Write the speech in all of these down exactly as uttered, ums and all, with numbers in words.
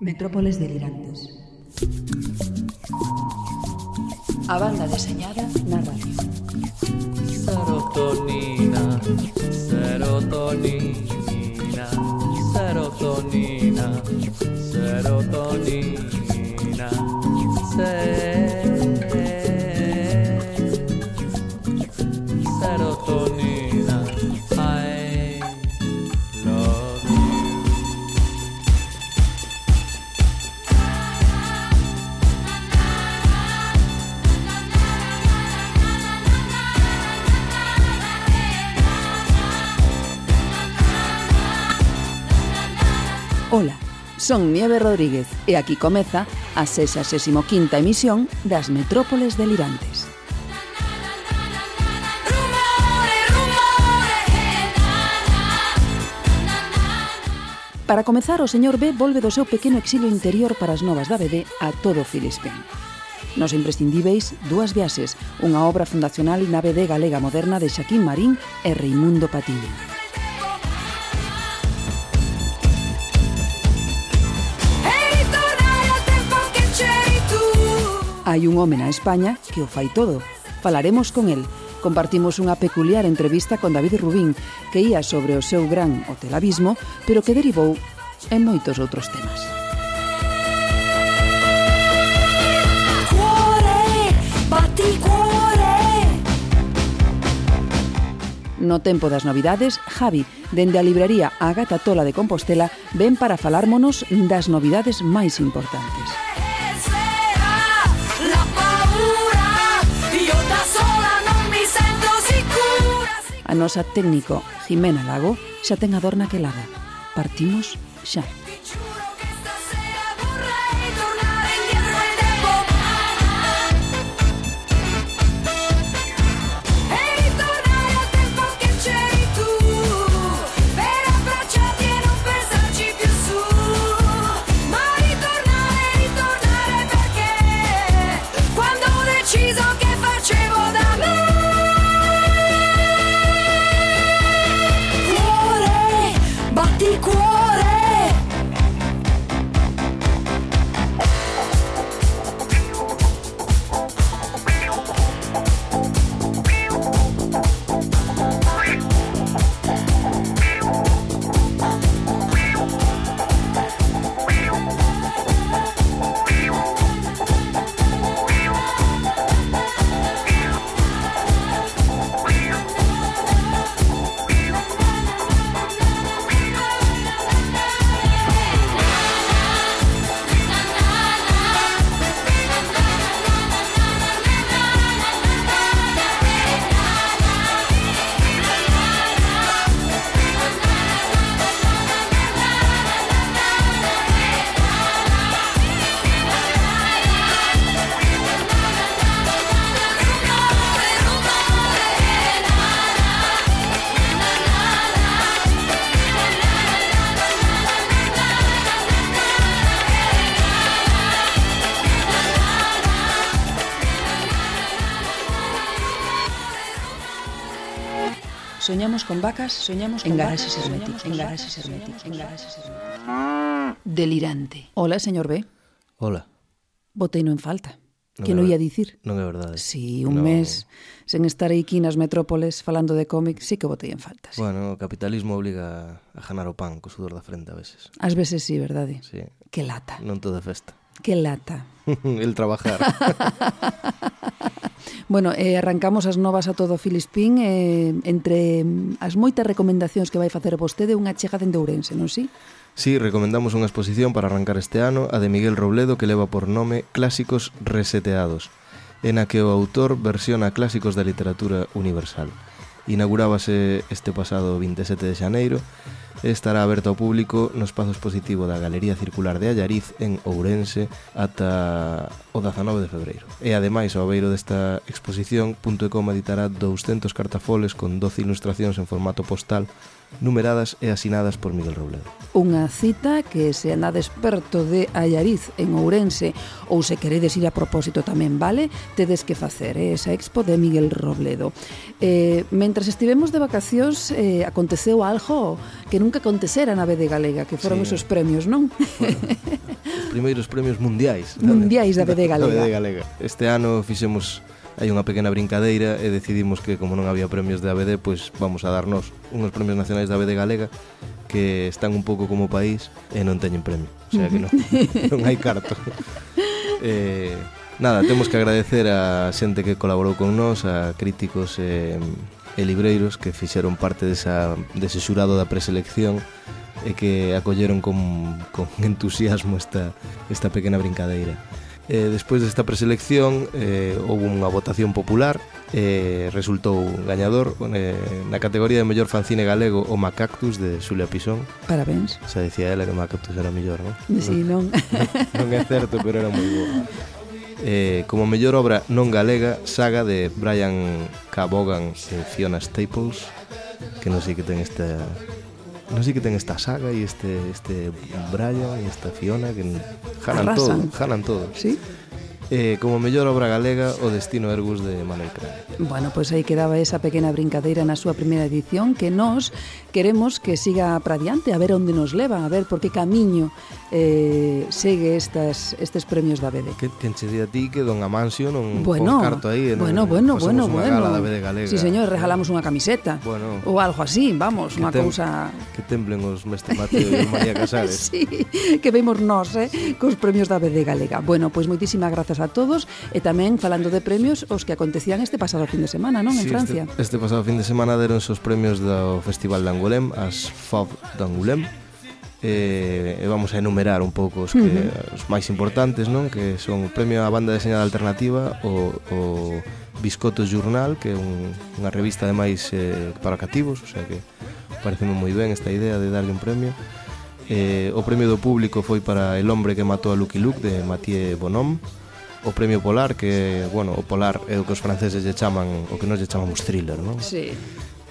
Metrópoles delirantes. A banda deseñada na radio. Serotonina, serotonina, serotonina, serotonina, serotonina, I love you. Ola, son Nieve Rodríguez e aquí comeza a sexagésima quinta emisión das Metrópoles delirantes. Para comezar, o señor B volve do seu pequeno exilio interior para as novas da B D a todo Filispín. Nos imprescindíveis, dúas viaxes, unha obra fundacional na B D galega moderna de Xaquín Marín e Reimundo Patiño. Hai un home na España que o fai todo. Falaremos con el. Compartimos unha peculiar entrevista con David Rubín que ía sobre o seu gran Hotel Abismo, pero que derivou en moitos outros temas. Cuore, bati cuore. No tempo das novidades, Javi, dende a librería A Gata Tola de Compostela, ven para falármonos das novidades máis importantes. A nosa técnico Jimena Lago xa ten a dor naquelada. Partimos xa. Soñamos con vacas, soñamos con en garaxes herméticos, en garaxes herméticos, en garaxes herméticos. Delirante. Hola, señor B. Hola. Boteino en falta. Que non ia dicir? Non é verdade. Si, un no. mes sen estar aquí nas metrópoles falando de cómic, sí que botei en falta. Sí. Bueno, o capitalismo obliga a ganar o pan co sudor da frente a veces. Ás veces sí, verdade? Sí. Que lata. Non todo é festa. Que lata. El trabajar. Bueno, eh, arrancamos as novas a todo Filispín, eh, entre as moitas recomendacións que vai facer vostede, unha chega dende Ourense, non si? Sí, recomendamos unha exposición para arrancar este ano, a de Miguel Robledo, que leva por nome Clásicos Reseteados, en a que o autor versiona clásicos da literatura universal. Inaugurábase este pasado vinte e sete de xaneiro e estará aberto ao público no espazo expositivo da Galería Circular de Allariz en Ourense ata o dezanove de febreiro. E ademais, ao beiro desta exposición, Punto e Coma editará douscentos cartafoles con doce ilustracións en formato postal numeradas e asinadas por Miguel Robledo. Unha cita que se andades perto de Allariz en Ourense ou se queredes ir a propósito tamén, vale? Tedes que facer eh, esa expo de Miguel Robledo. Eh, mentras estivemos de vacacións eh, aconteceu algo que nunca acontecera na B D Galega, que foron Sí. esos premios, non? Bueno, os primeiros premios mundiais. Mundiais da B D Galega. Da B D Galega. Este ano fixemos hai unha pequena brincadeira e decidimos que como non había premios da B D, pois vamos a darnos unhos premios nacionais da B D Galega que están un pouco como país e non teñen premio, o sea que non, non hai carto. eh, nada, temos que agradecer a xente que colaborou con nós, a críticos e, e libreiros que fixeron parte desa, dese xurado da preselección e que acolleron con, con entusiasmo esta, esta pequena brincadeira. Eh, despois desta preselección eh, houve unha votación popular e eh, resultou gañador eh, na categoría de mellor fanzine galego o Macactus de Xulia Pisón. Parabéns. Xa dicía ela que Macactus era mellor, non? Sí, non. Non, non é certo, pero era moi boa. Eh, como mellor obra non galega, Saga de Brian K. Vaughan e Fiona Staples, que non sei que ten esta... Non sei que ten esta saga e este este Brian e esta Fiona que jalan todo, jalan todo. Sí. Eh, como mellor obra galega, O destino Ergus de Manuel Crane. Bueno, pois pues aí quedaba esa pequena brincadeira na súa primeira edición que nós queremos que siga para adiante, a ver onde nos leva, a ver por que camiño eh, segue estas, estes premios da B D. Que quen che di a ti que don Amancio non bueno, pon carto aí. Bueno, bueno, bueno, unha bueno. gala da B D Galega. Sí, señor, regalamos unha camiseta. Bueno, ou algo así, vamos, unha tem, cousa... Que temblen os Mestre Mateo e María Casares. Sí, que vemos nós, eh, cos premios da B D Galega. Bueno, pois moitísimas grazas a todos e tamén falando de premios os que acontecían este pasado fin de semana, non? En sí, Francia. Este, este pasado fin de semana deronse os premios do Festival de Angoulême, as F O B de Angoulême. E, e vamos a enumerar un pouco os, que, uh-huh. os máis importantes, non? Que son o premio á banda deseñada alternativa, o, o Biscotto Journal, que é un, unha revista ademais eh, para cativos, o sea que pareceme moi ben esta idea de darlle un premio. Eh, o premio do público foi para El hombre que matou a Lucky Luke de Mathieu Bonhomme. O premio Polar, que, bueno, o Polar é o que os franceses lle chaman, o que nós lle chamamos thriller, non? Sí.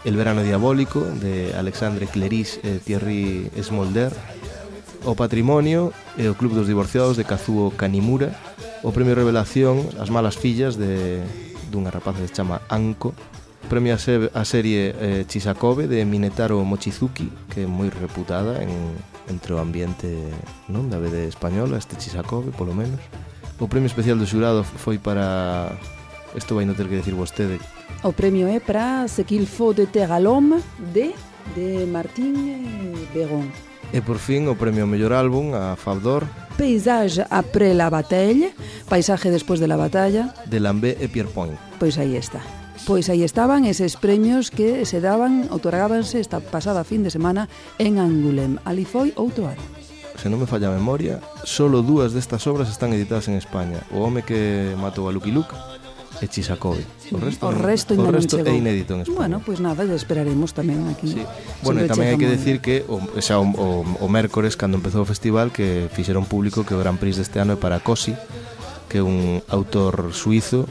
El verano diabólico, de Alexandre Cleris e Thierry Smolder. O patrimonio e o Club dos divorciados, de Kazuo Kanimura. O premio Revelación, As malas fillas, de dunha rapaza que se chama Anko. O premio a, se, a serie eh, Chisakove, de Minetaro Mochizuki, que é moi reputada en, entre o ambiente, non, da B D española, este Chisakove, polo menos. O premio especial do xurado foi para... Isto vai non ter que decir vostede. O premio é para Ce qu'il faut de terre à l'homme de, de Martín Beron. E por fin o premio ao mellor álbum a Fabdor, Paysage après la bataille, Paisaje despois de la batalla, de Lambé e Pierrepoint. Pois aí está. Pois aí estaban eses premios que se daban, outorgábanse esta pasada fin de semana en Angoulême. Ali foi outro ano. Se non me falla a memoria, solo dúas destas obras están editadas en España. O home que matou a Lucky Luke e Chisakove. O resto, o resto, o non resto chegou. É inédito en España. Bueno, pois pues nada, esperaremos tamén aquí. Sí. Bueno, e tamén hai que Checa decir que o, xa, o, o, o mércores, cando empezou o festival, que fixeron público que o Gran Prix deste ano é para Cosi, que é un autor suizo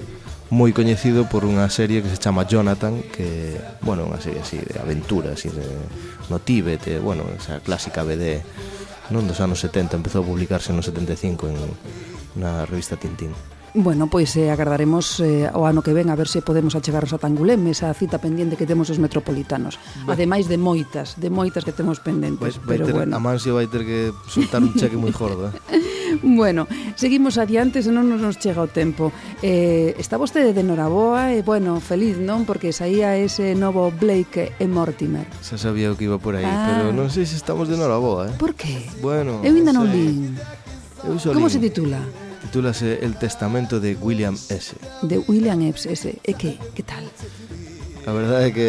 moi coñecido por unha serie que se chama Jonathan, que, bueno, unha serie así de aventura, así de no Tíbet, e, bueno, esa clásica B D non dos anos setenta, empezou a publicarse no setenta e cinco en na revista Tintín. Bueno, pois eh, agardaremos eh, o ano que ven a ver se podemos achegarnos a Angoulême, esa cita pendiente que temos os metropolitanos. Bueno. Ademais de moitas, de moitas que temos pendentes, vai, vai pero ter, bueno. Amancio vai ter que soltar un cheque moi gordo, eh? Bueno, seguimos adiante, senón non nos chega o tempo. Eh, está vostede de noraboa e, bueno, feliz, non? Porque saía ese novo Blake e Mortimer. Xa sabía o que iba por aí, ah. pero non sei se estamos de noraboa, eh? Por que? Bueno, eu ainda non sei. lín. Eu Como lín. se titula? Titúlase El testamento de William S. De William S. E que? Que tal? A verdade é que...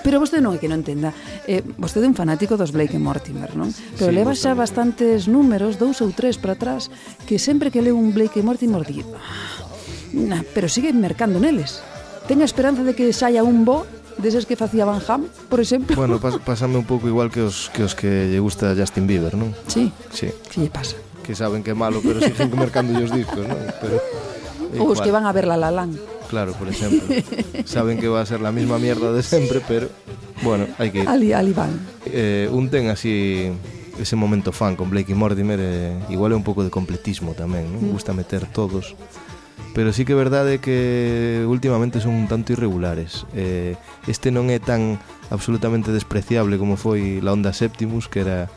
Pero vostede non é que non entenda. Eh, vostede é un fanático dos Blake e Mortimer, non? Pero Sí, leva xa tamén. bastantes números, dous ou tres para atrás, que sempre que leo un Blake e Mortimer di, nah, pero sigue mercando neles. Ten a esperanza de que saia un bo deses que facía Van Ham, por exemplo. Bueno, pas, pasame un pouco igual que os que os que lle gusta Justin Bieber, non? Sí, Sí, que lle pasa? que saben que é malo, pero siguen mercando os discos, non? Pero Ou os que van a ver La La Land. Claro, por exemplo. Saben que va a ser la misma mierda de sempre, pero Bueno, hai que ir. Ali, ali van. Eh, un ten así ese momento fan con Blake y Mortimer, eh, igual é un pouco de completismo tamén, non? Mm. Gusta meter todos. Pero sí que é verdade que últimamente son un tanto irregulares. Eh, este non é tan absolutamente despreciable como foi la Onda Septimus, que era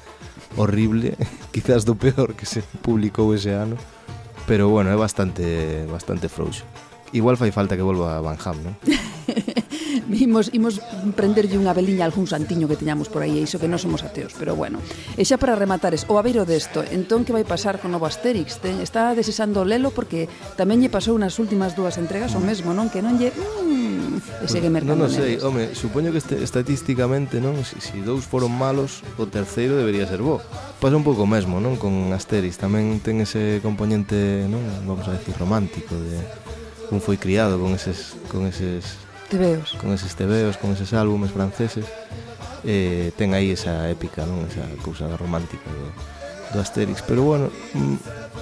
horrible, quizás do peor que se publicou ese ano. Pero bueno, é bastante bastante frouxo. Igual fai falta que volva a Van Ham, non? Imos, imos prenderlle unha veliña a algún santiño que teñamos por aí, e iso que non somos ateos, pero bueno. E xa para rematares, o abeiro desto, entón que vai pasar con novo Asterix? Ten, está desexando lelo porque tamén lle pasou nas últimas dúas entregas o mesmo, non? Que non lle... Mm, e segue mercando non, non sei, neles. home, supoño que este, estatísticamente, non? Si, si dous foron malos, o terceiro debería ser bo. Pasa un pouco o mesmo, non? Con Asterix, tamén ten ese componente, non? Vamos a decir, romántico, de un foi criado con eses... Con eses Tebeos. con eses tebeos, con eses álbumes franceses, eh, ten aí esa épica, non? Esa cousa romántica do, do Asterix, pero bueno,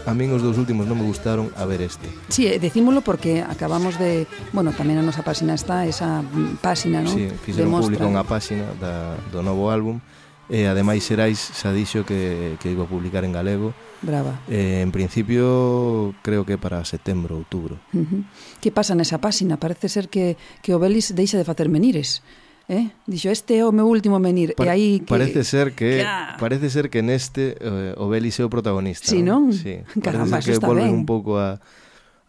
a min os dous últimos non me gustaron, a ver este. Sí, decímolo porque acabamos de, bueno, tamén a nosa páxina está esa páxina, non? Sí, fixeron público unha páxina da, do novo álbum, e ademais Xerais xa dixo que, que iba a publicar en galego. Brava. Eh, en principio creo que para setembro, outubro. Uh-huh. Que pasa nesa páxina? Parece ser que, que o Belis deixa de facer menires. Eh? Dixo, este é o meu último menir. Pa- e aí que... Parece ser que Claro. parece ser que neste eh, o Belis é o protagonista. Sí, non? Sí. Caramba, Parece ser eso que está volven ben. un pouco a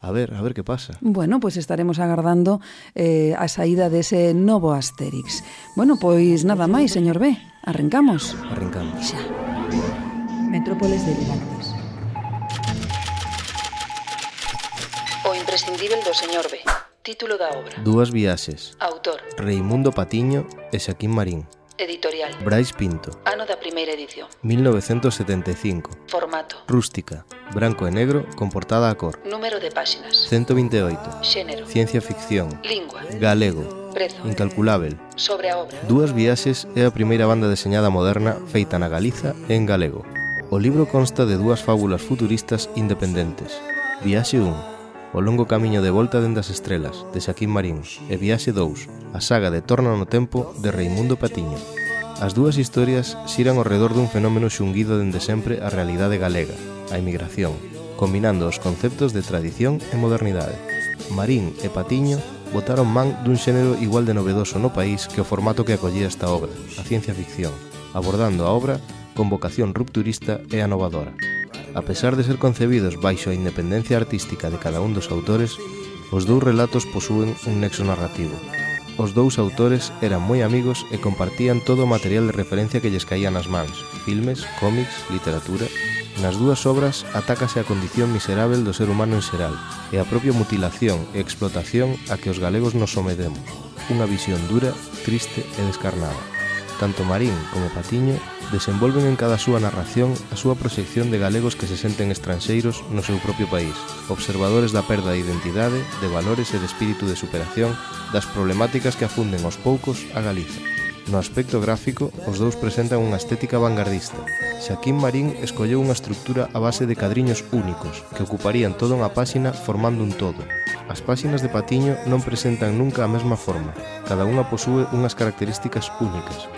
a ver, a ver que pasa. Bueno, pois pues estaremos agardando eh, a saída dese novo Asterix. Bueno, pois nada máis, señor B. Arrancamos. Arrancamos. Xa. Metrópoles delirantes. O imprescindible do señor B. Título da obra. Dúas viaxes. Autor. Reimundo Patiño e Xaquín Marín. Editorial. Brais Pinto. Ano da primeira edición. mil novecientos setenta e cinco. Formato. Rústica. Branco e negro con portada a cor. Número de páxinas. ciento veinte e oito. Xénero. Ciencia ficción. Lingua. Galego. Prezo. Incalculável. Sobre a obra. Dúas viaxes é a primeira banda deseñada moderna feita na Galiza e en galego. O libro consta de dúas fábulas futuristas independentes. Viaxe un, O longo camiño de volta dende as estrelas, de Xaquín Marín, e Viaxe dous, a saga de Torna no tempo, de Reimundo Patiño. As dúas historias xiran ao redor dun fenómeno xunguido dende sempre a realidade galega, a emigración, combinando os conceptos de tradición e modernidade. Marín e Patiño botaron man dun xénero igual de novedoso no país que o formato que acollía esta obra, a ciencia ficción, abordando a obra con vocación rupturista e anovadora. A pesar de ser concebidos baixo a independencia artística de cada un dos autores, os dous relatos posúen un nexo narrativo. Os dous autores eran moi amigos e compartían todo o material de referencia que lles caía nas mans, filmes, cómics, literatura. Nas dúas obras atácase a condición miserável do ser humano en xeral e a propia mutilación e explotación a que os galegos nos sometemos, unha visión dura, triste e descarnada. Tanto Marín como Patiño desenvolven en cada súa narración a súa proxección de galegos que se senten estranxeiros no seu propio país, observadores da perda de identidade, de valores e de espírito de superación das problemáticas que afunden aos poucos a Galiza. No aspecto gráfico, os dous presentan unha estética vanguardista. Xaquín Marín escolleu unha estructura a base de cadriños únicos, que ocuparían toda unha páxina formando un todo. As páxinas de Patiño non presentan nunca a mesma forma, cada unha posúe unhas características únicas.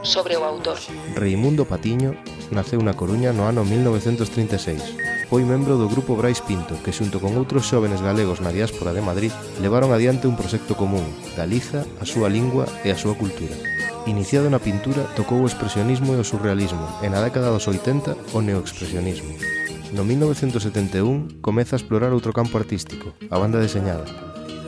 Sobre o autor. Reimundo Patiño naceu na Coruña no ano mil novecentos trinta e seis. Foi membro do grupo Brais Pinto, que xunto con outros xóvenes galegos na diáspora de Madrid levaron adiante un proxecto común, Galiza, a súa lingua e a súa cultura. Iniciado na pintura, tocou o expresionismo e o surrealismo, e na década dos oitenta o neoexpresionismo. No mil novecentos setenta e un comeza a explorar outro campo artístico, a banda deseñada,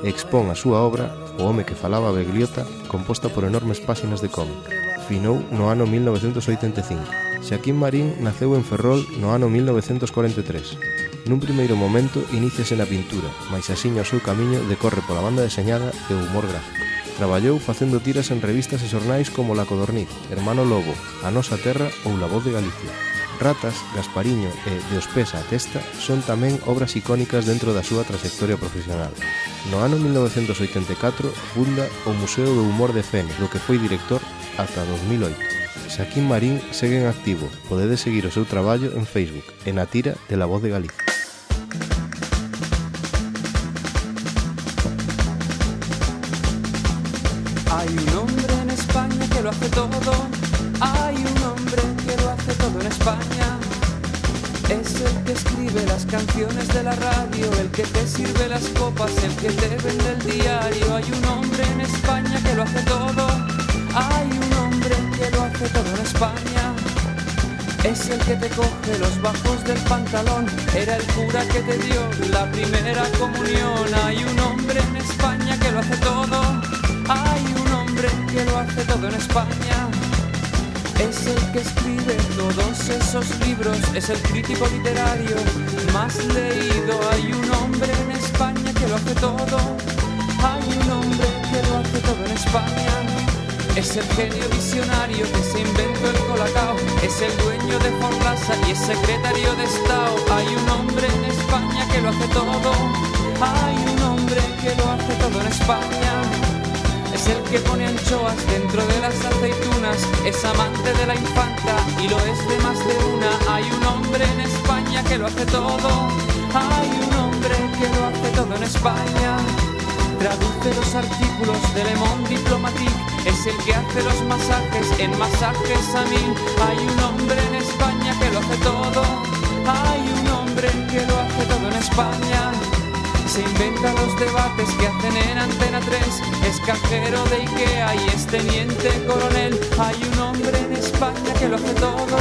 e expón a súa obra, O home que falaba Begliota, composta por enormes páxinas de cómic. Finou no ano mil novecentos oitenta e cinco. Xaquín Marín naceu en Ferrol no ano mil novecentos corenta e tres. Nun primeiro momento iníciase na pintura, mais axiña o seu camiño decorre pola banda deseñada e o humor gráfico. Traballou facendo tiras en revistas e xornais como La Codorniz, Hermano Lobo, A Nosa Terra ou La Voz de Galicia. Ratas, Gaspariño e De os pés á testa son tamén obras icónicas dentro da súa trayectoria profesional. No ano mil novecentos oitenta e catro funda o Museo do Humor de Fene, do que foi director ata dos mil oito. Xaquín Marín segue en activo, podedes seguir o seu traballo en Facebook e na tira de La Voz de Galicia. Hay un hombre en España España. Es el que escribe las canciones de la radio, el que te sirve las copas, el que te vende el diario. Hay un hombre en España que lo hace todo. Hay un hombre que lo hace todo en España. Es el que te coge los bajos del pantalón. Era el cura que te dio la primera comunión. Hay un hombre en España que lo hace todo. Hay un hombre que lo hace todo en España. Es el que escribe todos esos libros, es el crítico literario más leído. Hay un hombre en España que lo hace todo. Hay un hombre que lo hace todo en España. Es el genio visionario que se inventó el colacao. Es el dueño de Forlasa y es secretario de Estado. Hay un hombre en España que lo hace todo. Hay un hombre que lo hace todo en España. Es el que pone anchoas dentro de las aceitunas. Es amante de la infanta y lo es de más de una. Hay un hombre en España que lo hace todo. Hay un hombre que lo hace todo en España. Traduce los artículos de Le Monde Diplomatique. Es el que hace los masajes en Masajes a Mil. Hay un hombre en España que lo hace todo. Hay un hombre que lo hace todo en España. Se inventa los debates que hacen en Antena tres. Es cajero de Ikea y es teniente coronel. Hay un hombre en España que lo hace todo.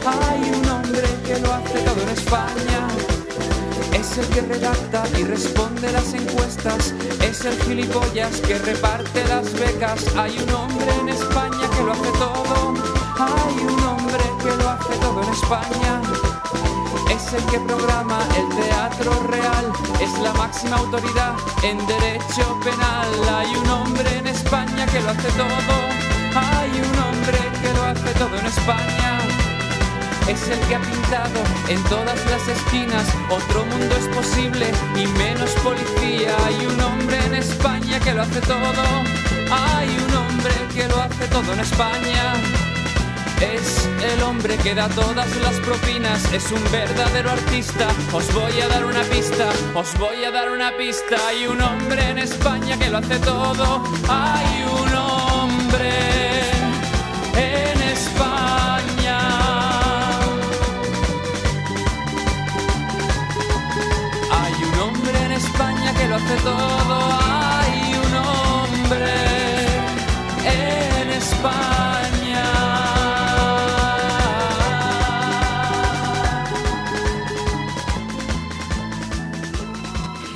Hay un hombre que lo hace todo en España. Es el que redacta y responde las encuestas. Es el gilipollas que reparte las becas. Hay un hombre en España que lo hace todo. Hay un hombre que lo hace todo en España. Es el que programa el teatro real. Es la máxima autoridad en derecho penal. Hay un hombre en España que lo hace todo. Hay un hombre que lo hace todo en España. Es el que ha pintado en todas las esquinas. Otro mundo es posible y menos policía. Hay un hombre en España que lo hace todo. Hay un hombre que lo hace todo en España. Es el hombre que da todas las propinas. Es un verdadero artista. Os voy a dar una pista. Os voy a dar una pista. Hay un hombre en España que lo hace todo. Hay un hombre en España. Hay un hombre en España que lo hace todo. Hay un hombre en España.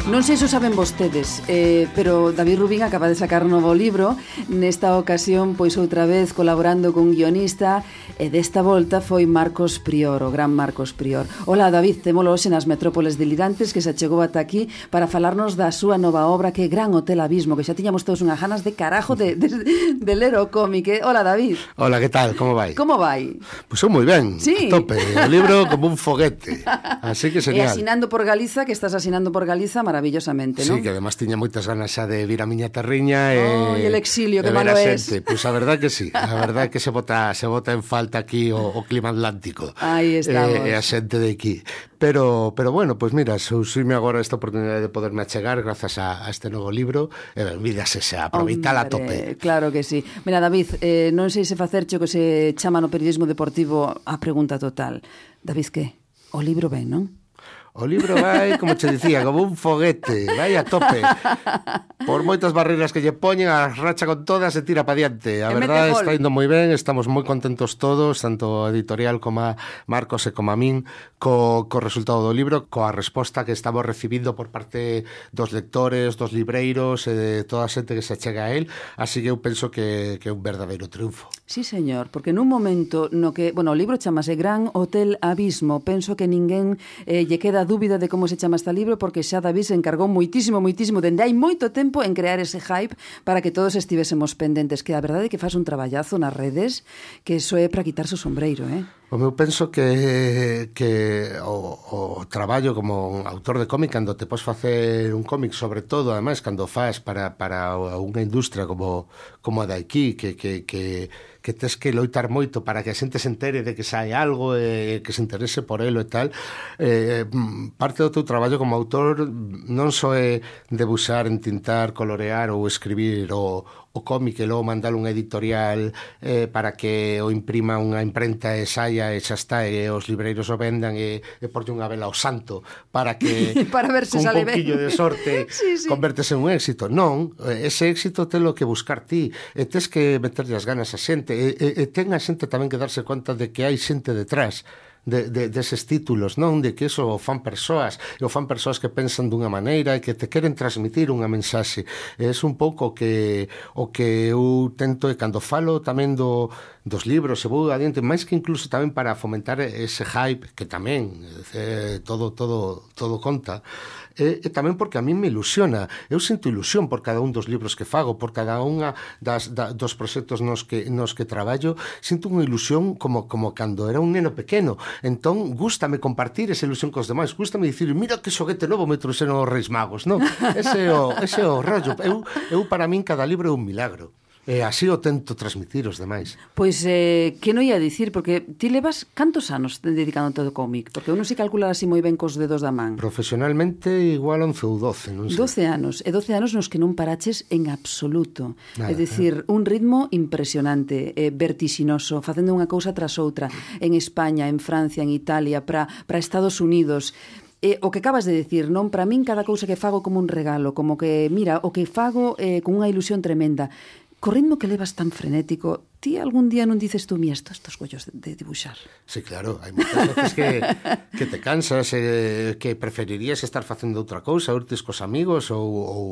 Non sei se o saben vostedes, eh, pero David Rubín acaba de sacar novo libro. Nesta ocasión, pois outra vez colaborando con guionista, e desta volta foi Marcos Prior, o gran Marcos Prior. Hola, David, témolo hoxe nas Metrópoles Delirantes, que se chegou ata aquí para falarnos da súa nova obra, que é Gran Hotel Abismo, que xa tiñamos todos unhas ganas de carajo de, de, de ler o cómic. Eh? Hola, David. Hola, que tal? Como vai? Como vai? Pois pues moi ben, sí. A tope. O libro como un foguete. Así que E señal. asinando por Galiza, que estás asinando por Galiza, maravillosamente, non? Sí, que además tiña moitas ganas xa de vir a miña terriña e, oh, e el exilio, que malo es. Pois pues a verdad que sí, a verdad que se bota se bota en falta aquí o, o clima atlántico. Aí estamos. E eh, a xente de aquí. Pero pero bueno, pois pues mira, surxime agora esta oportunidade de poderme achegar grazas a, a este novo libro. E ben, vídase xa, aproveitala a tope. Claro que sí. Mira, David, eh, non sei se facerche o que se chama no periodismo deportivo a pregunta total. David, que? O libro ben, non? O libro vai, como che dicía, como un foguete, vai a tope. Por moitas barreiras que lle poñen, a racha con todas e tira pa diante. A verdade está indo moi ben, estamos moi contentos todos, tanto a editorial como a Marcos e como a min, co, co resultado do libro, coa resposta que estamos recibindo por parte dos lectores, dos libreiros e de toda a xente que se chega a él, así que eu penso que, que é un verdadeiro triunfo. Sí, señor, porque nun momento no que, bueno, o libro chamase Gran Hotel Abismo, penso que ninguén eh, lle queda dúbida de como se chama este libro, porque xa David se encargou moitísimo, moitísimo, dende hai moito tempo en crear ese hype para que todos estivésemos pendentes, que a verdade é que faz un traballazo nas redes, que iso é para quitarse o sombreiro, eh? O meu penso que, que o, o traballo como un autor de cómic, cando te podes facer un cómic, sobre todo, ademais, cando faz para, para unha industria como, como a de aquí, que, que, que, que tes que loitar moito para que a xente se entere de que sai algo e que se interese por elo e tal, eh, parte do teu traballo como autor non só é debuxar, entintar, colorear ou escribir o o cómic e logo mandalo unha editorial eh, para que o imprima unha imprenta e saia e xa está, e os libreiros o vendan e, e porlle unha vela ao santo para que para ver se un sale pouquillo ben de sorte sí, sí. convertese en un éxito. Non, ese éxito telo que buscar ti e tes que meterlle as ganas a xente e, e, e ten a xente tamén que darse conta de que hai xente detrás de, de, deses títulos, non? De que iso o fan persoas, e o fan persoas que pensan dunha maneira e que te queren transmitir unha mensaxe. E é un pouco que o que eu tento, e cando falo tamén do, dos libros, e vou adiante, máis que incluso tamén para fomentar ese hype, que tamén eh, todo, todo, todo conta, e, e tamén porque a mí me ilusiona. Eu sinto ilusión por cada un dos libros que fago, por cada unha das, da, dos proxectos nos que, nos que traballo, sinto unha ilusión como, como cando era un neno pequeno. Entón, gústame compartir esa ilusión cos demais, gústame dicir, mira que xoguete novo me trouxeron os Reis Magos, non? Ese é o, ese é o rollo. Eu, eu, para min, cada libro é un milagro. E así o tento transmitir os demais. Pois, eh, que non ia dicir, porque ti levas cantos anos dedicándote ao cómic? Porque eu non sei calcular así moi ben cos dedos da man. Profesionalmente, igual once ou doce, non sei. doce anos, e doce anos nos que non paraches en absoluto. Nada, é dicir, un ritmo impresionante, eh, vertixinoso, facendo unha cousa tras outra, en España, en Francia, en Italia, para para Estados Unidos. E o que acabas de decir, non? Para min cada cousa que fago como un regalo, como que, mira, o que fago eh, con unha ilusión tremenda. Co ritmo que levas tan frenético, ti algún día non dices tú, mira, estos, estos gollos de, de dibuixar? Sí, claro, hai moitas veces que, que te cansas, eh, que preferirías estar facendo outra cousa, irtes cos amigos ou, ou,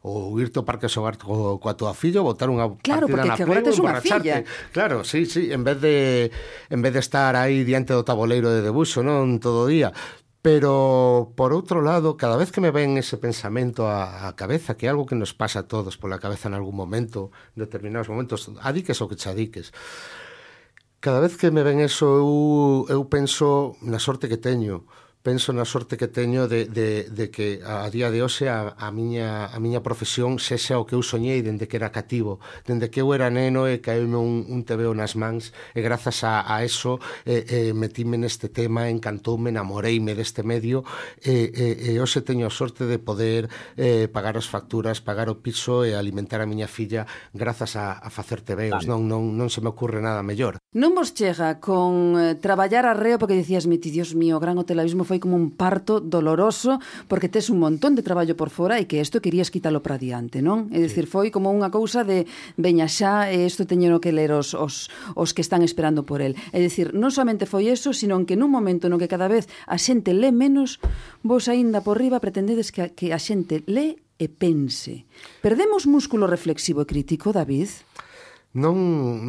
ou irte ao parque a xogar co, coa tua filla ou botar unha claro, partida na Play Play ou emborracharte. Claro, sí, sí, en vez de en vez de estar aí diante do tabuleiro de debuxo, non, todo o día. Pero, por outro lado, cada vez que me ven ese pensamento á, á cabeza, que é algo que nos pasa a todos pola cabeza en algún momento, en determinados momentos, adiques o que te adiques, cada vez que me ven eso, eu, eu penso na sorte que teño, penso na sorte que teño de, de, de que a día de hoxe a, a, miña, a miña profesión sexa o que eu soñei dende que era cativo, dende que eu era neno e caeume un, un tebeo nas mans e grazas a, a eso eh, eh, metíme neste tema, encantoume, enamoreime deste medio e, e, e hoxe teño a sorte de poder eh, pagar as facturas, pagar o piso e alimentar a miña filla grazas a, a facer tebeos, non, non, non se me ocurre nada mellor. Non vos chega con eh, traballar arreo porque dicías, meti, Dios mío, o gran hotelavismo foi como un parto doloroso porque tes un montón de traballo por fora e que isto querías quítalo para diante, non? É dicir, foi como unha cousa de veña xa, e isto teño que ler os, os, os que están esperando por el. É dicir, non somente foi eso, sino que nun momento no que cada vez a xente lé menos, vos aínda por riba pretendedes que a, que a xente lé e pense. Perdemos músculo reflexivo e crítico, David? Non,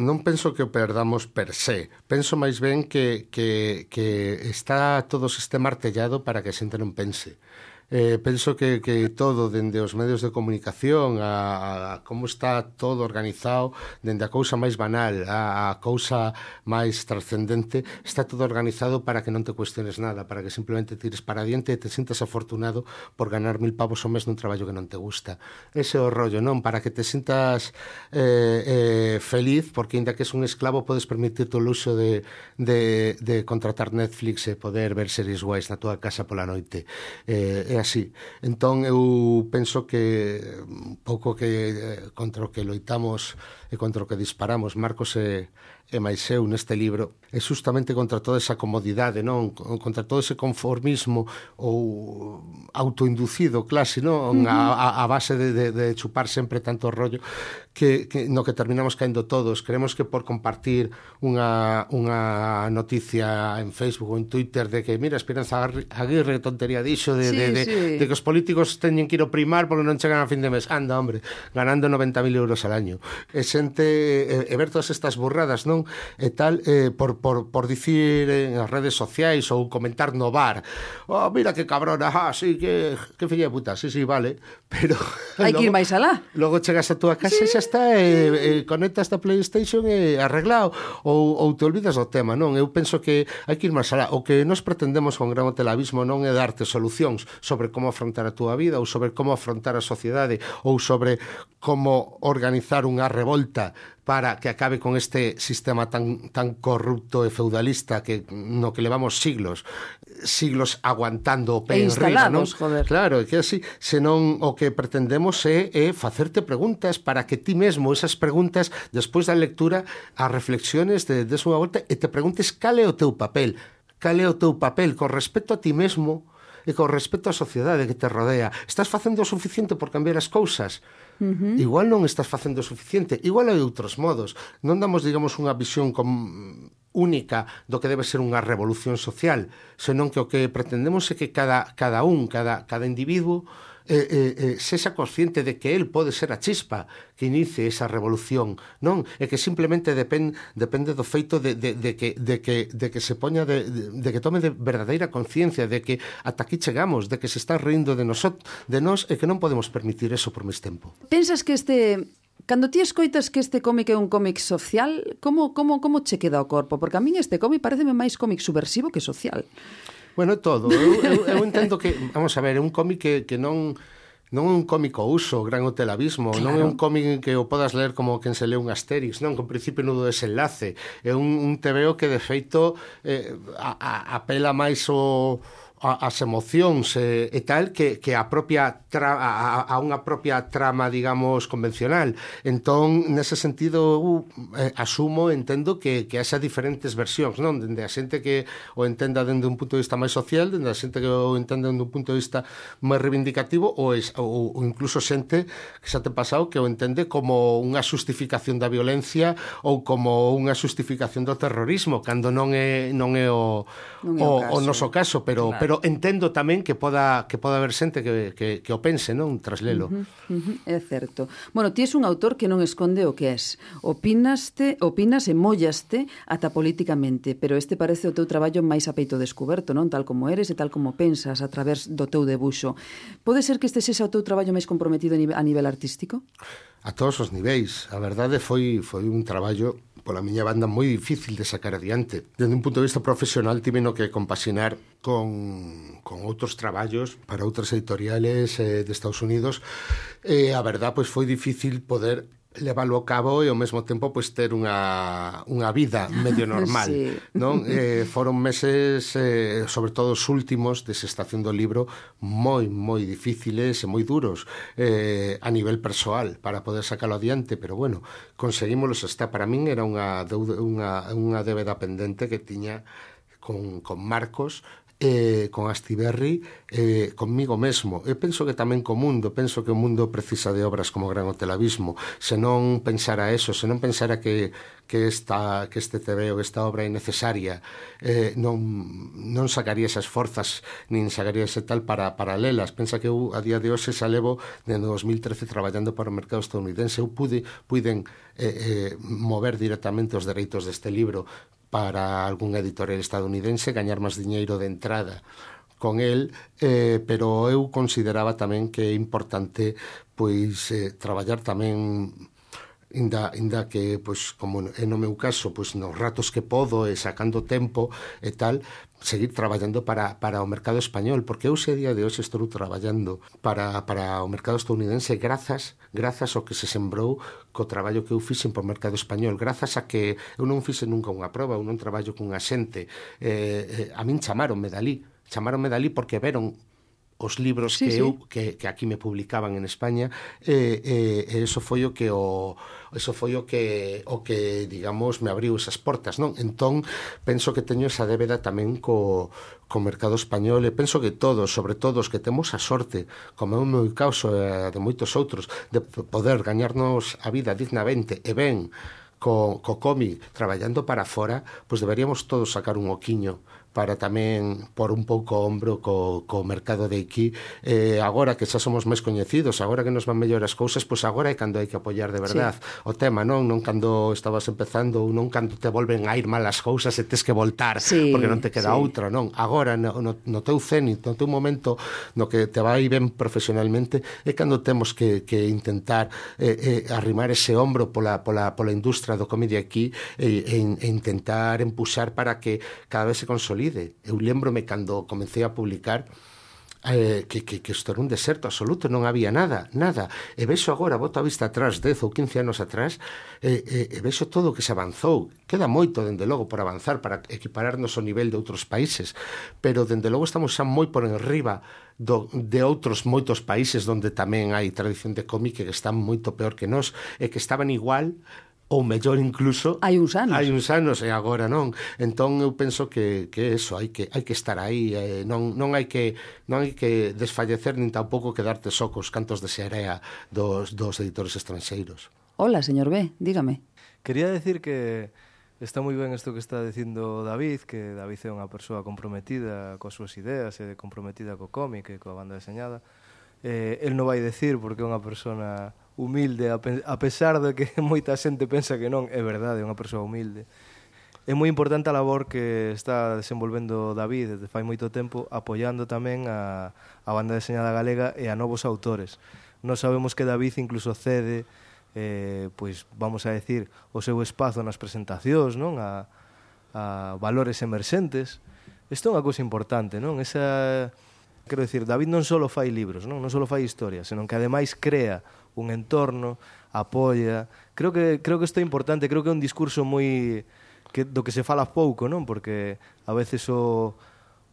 non penso que o perdamos per se. Penso máis ben que, que, que está todo o sistema artellado para que a xente non pense. Eh, penso que, que todo, dende os medios de comunicación a, a como está todo organizado, dende a cousa máis banal a, a cousa máis trascendente, está todo organizado para que non te cuestiones nada, para que simplemente tires para adiante e te sintas afortunado por ganar mil pavos ao mes nun traballo que non te gusta. Ese é o rollo, non? Para que te sintas eh, eh, feliz, porque ainda que es un esclavo podes permitirte o luxo de, de, de contratar Netflix e poder ver series guais na tua casa pola noite. Eh, é así. Entón eu penso que un pouco que eh, contra o que loitamos e contra o que disparamos Marcos e, e máis eu neste libro é justamente contra toda esa comodidade, non? Contra todo ese conformismo ou autoinducido clase, non? A, a, a base de, de, de chupar sempre tanto rollo que, que no que terminamos caendo todos. Creemos que por compartir unha, unha noticia en Facebook ou en Twitter de que, mira, Esperanza Aguirre tontería dixo de, sí, de, de, sí. de que os políticos teñen que ir ao primar porque non chegan a fin de mes. Anda, hombre, ganando noventa mil euros al año. E xente, e, e ver todas estas burradas, non? E tal, eh, por, por, por dicir en as redes sociais ou comentar no bar, oh, mira que cabrona, ah, sí, que, que filla de puta, sí, sí, vale, pero... Hai que ir máis alá. Logo chegas a túa casa sí. e xa está, e, e conectas a PlayStation e arreglado, ou, ou te olvidas do tema, non? Eu penso que hai que ir máis alá. O que nos pretendemos con Gran Hotelavismo non é darte solucións sobre como afrontar a túa vida ou sobre como afrontar a sociedade ou sobre como organizar unha revolta para que acabe con este sistema tan, tan corrupto e feudalista que no que levamos siglos siglos aguantando o pé en riba, non? Joder. Claro, é que así, senón o que pretendemos é, é facerte preguntas para que ti mesmo esas preguntas, despois da lectura, as reflexiones de, des unha volta e te preguntes cal é o teu papel, cal é o teu papel con respecto a ti mesmo e con respecto á sociedade que te rodea. Estás facendo o suficiente por cambiar as cousas? Uh-huh. Igual non estás facendo o suficiente, igual hai outros modos. Non damos, digamos, unha visión com... única do que debe ser unha revolución social, senón que o que pretendemos é que cada, cada un, cada, cada individuo eh, eh, eh, sexa consciente de que el pode ser a chispa que inicie esa revolución, non? E que simplemente depend, depende do feito de, de, de, que, de, que, de que se poña de, de, de que tome de verdadeira conciencia de que ata aquí chegamos, de que se está rindo de, nosot, de nós e que non podemos permitir eso por máis tempo. Pensas que este... Cando ti escoitas que este cómic é un cómic social, como, como, como che queda o corpo? Porque a min este cómic pareceme máis cómic subversivo que social. Bueno, todo. Eu, eu, eu entendo que, vamos a ver, é un cómic que, que non... non é un cómico uso, Gran Hotel Abismo, claro. Non é un cómic que o podas ler como quen se lee un Asterix, non, con principio nudo desenlace. É un, un tebeo que, de feito, eh, a, a, apela máis o... as emocións e, e tal que, que a propia tra, a, a unha propia trama, digamos, convencional. Entón, nese sentido, uh, eh, asumo, entendo que, que haxa diferentes versións, non? Dende a xente que o entenda dende un punto de vista máis social, dende a xente que o entenda dende un punto de vista máis reivindicativo, ou, es, ou, ou incluso xente que xa te pasado que o entende como unha justificación da violencia ou como unha justificación do terrorismo, cando non é, non é o, non é o, o, o noso caso, pero, claro. Pero entendo tamén que poda que poda haber xente que, que, que o pense, non? Tras lelo. Uh -huh, uh -huh, é certo. Bueno, ti és un autor que non esconde o que és. Opinaste, opinas e mollaste ata políticamente, pero este parece o teu traballo máis a peito descoberto, non? Tal como eres e tal como pensas a través do teu debuxo. Pode ser que este sexa o teu traballo máis comprometido a nivel, a nivel artístico? A todos os niveis. A verdade foi, foi un traballo pola miña banda moi difícil de sacar adiante. Dende un punto de vista profesional tiveno que compaxinar con, con outros traballos para outras editoriales eh, de Estados Unidos e a verdade pois foi difícil poder leválo a cabo e ao mesmo tempo pois ter unha, unha vida medio normal, sí. Non? Eh, foron meses, eh, sobre todo os últimos de Estación do Libro, moi, moi difíciles e moi duros eh, a nivel persoal para poder sacalo adiante, pero bueno, conseguímoslos hasta. Para min era unha, deuda, unha, unha débeda pendente que tiña con, con Marcos, eh, con Astiberri, eh, conmigo mesmo. Eu penso que tamén co mundo, penso que o mundo precisa de obras como Gran Hotel Abismo. Se non pensara eso, se non pensara que, que, esta, que este tebeo, que esta obra é necesaria, eh, non, non sacaría esas forzas, nin sacaría ese tal para, para lelas. Pensa que eu, a día de hoxe, xa levo dende dos mil trece traballando para o mercado estadounidense. Eu pude, puiden eh, eh, mover directamente os dereitos deste libro para algún editorial estadounidense, gañar máis diñeiro de entrada con el, eh, pero eu consideraba tamén que é importante pois eh, traballar tamén inda, inda que, pois, como é no meu caso, pois nos ratos que podo e sacando tempo e tal, seguir traballando para, para o mercado español, porque eu se día de hoxe estou traballando para, para o mercado estadounidense grazas, grazas ao que se sembrou co traballo que eu fixen por mercado español, grazas a que eu non fixen nunca unha proba, eu non traballo cunha xente, eh, eh, a min chamaronme dalí, chamaronme dalí porque veron os libros sí, que eu sí. que, que aquí me publicaban en España e eh, eh, eso foi o que o eso foi o que o que digamos me abriu esas portas, non? Entón penso que teño esa débeda tamén co co mercado español e penso que todos, sobre todo os que temos a sorte, como é o meu caso e de moitos outros, de poder gañarnos a vida dignamente e ben co, co cómic traballando para fora, pois deberíamos todos sacar un oquiño para tamén por un pouco ombro co, co mercado de aquí. Eh, agora que xa somos máis coñecidos, agora que nos van mellor as cousas, pois agora é cando hai que apoiar de verdade sí. o tema, non? Non cando estabas empezando ou non cando te volven a ir mal as cousas e tes que voltar sí, porque non te queda sí. outra, non? Agora, no, no, no teu cenit, no teu momento no que te vai ben profesionalmente, é cando temos que, que intentar eh, eh, arrimar ese ombro pola, pola, pola industria do comedia aquí e, e, e intentar empuxar para que cada vez se consolide. Eu lembrome cando comecei a publicar eh, que, que, que isto era un deserto absoluto, non había nada, nada. E vexo agora, boto a vista atrás, dez ou quince anos atrás, e, e, e vexo todo o que se avanzou. Queda moito, dende logo, por avanzar, para equipararnos ao nivel de outros países, pero, dende logo, estamos xa moi por enriba do, de outros moitos países onde tamén hai tradición de cómic que están moito peor que nós, e que estaban igual ou mellor incluso hai uns anos hai uns anos e agora non. Entón eu penso que que eso, hai que hai que estar aí, eh, non non hai que non hai que desfallecer nin tampouco quedarte só cos cantos de searea dos dos editores estranxeiros. Hola, señor B, dígame. Quería decir que está moi ben isto que está dicindo David, que David é unha persoa comprometida coas súas ideas e comprometida co cómic e coa banda deseñada. Eh, el non vai decir porque é unha persona humilde, a, pe a pesar de que moita xente pensa que non, é verdade, é unha persoa humilde. É moi importante a labor que está desenvolvendo David desde fai moito tempo, apoiando tamén a, a banda deseñada galega e a novos autores. Nós sabemos que David incluso cede, eh, pois vamos a decir, o seu espazo nas presentacións, non? A, a valores emerxentes. Isto é unha cousa importante, non? Esa... Quero dicir, David non só fai libros, non, non só fai historias, senón que ademais crea un entorno, apoia. Creo que creo que isto é importante, creo que é un discurso moi que do que se fala pouco, non? Porque a veces o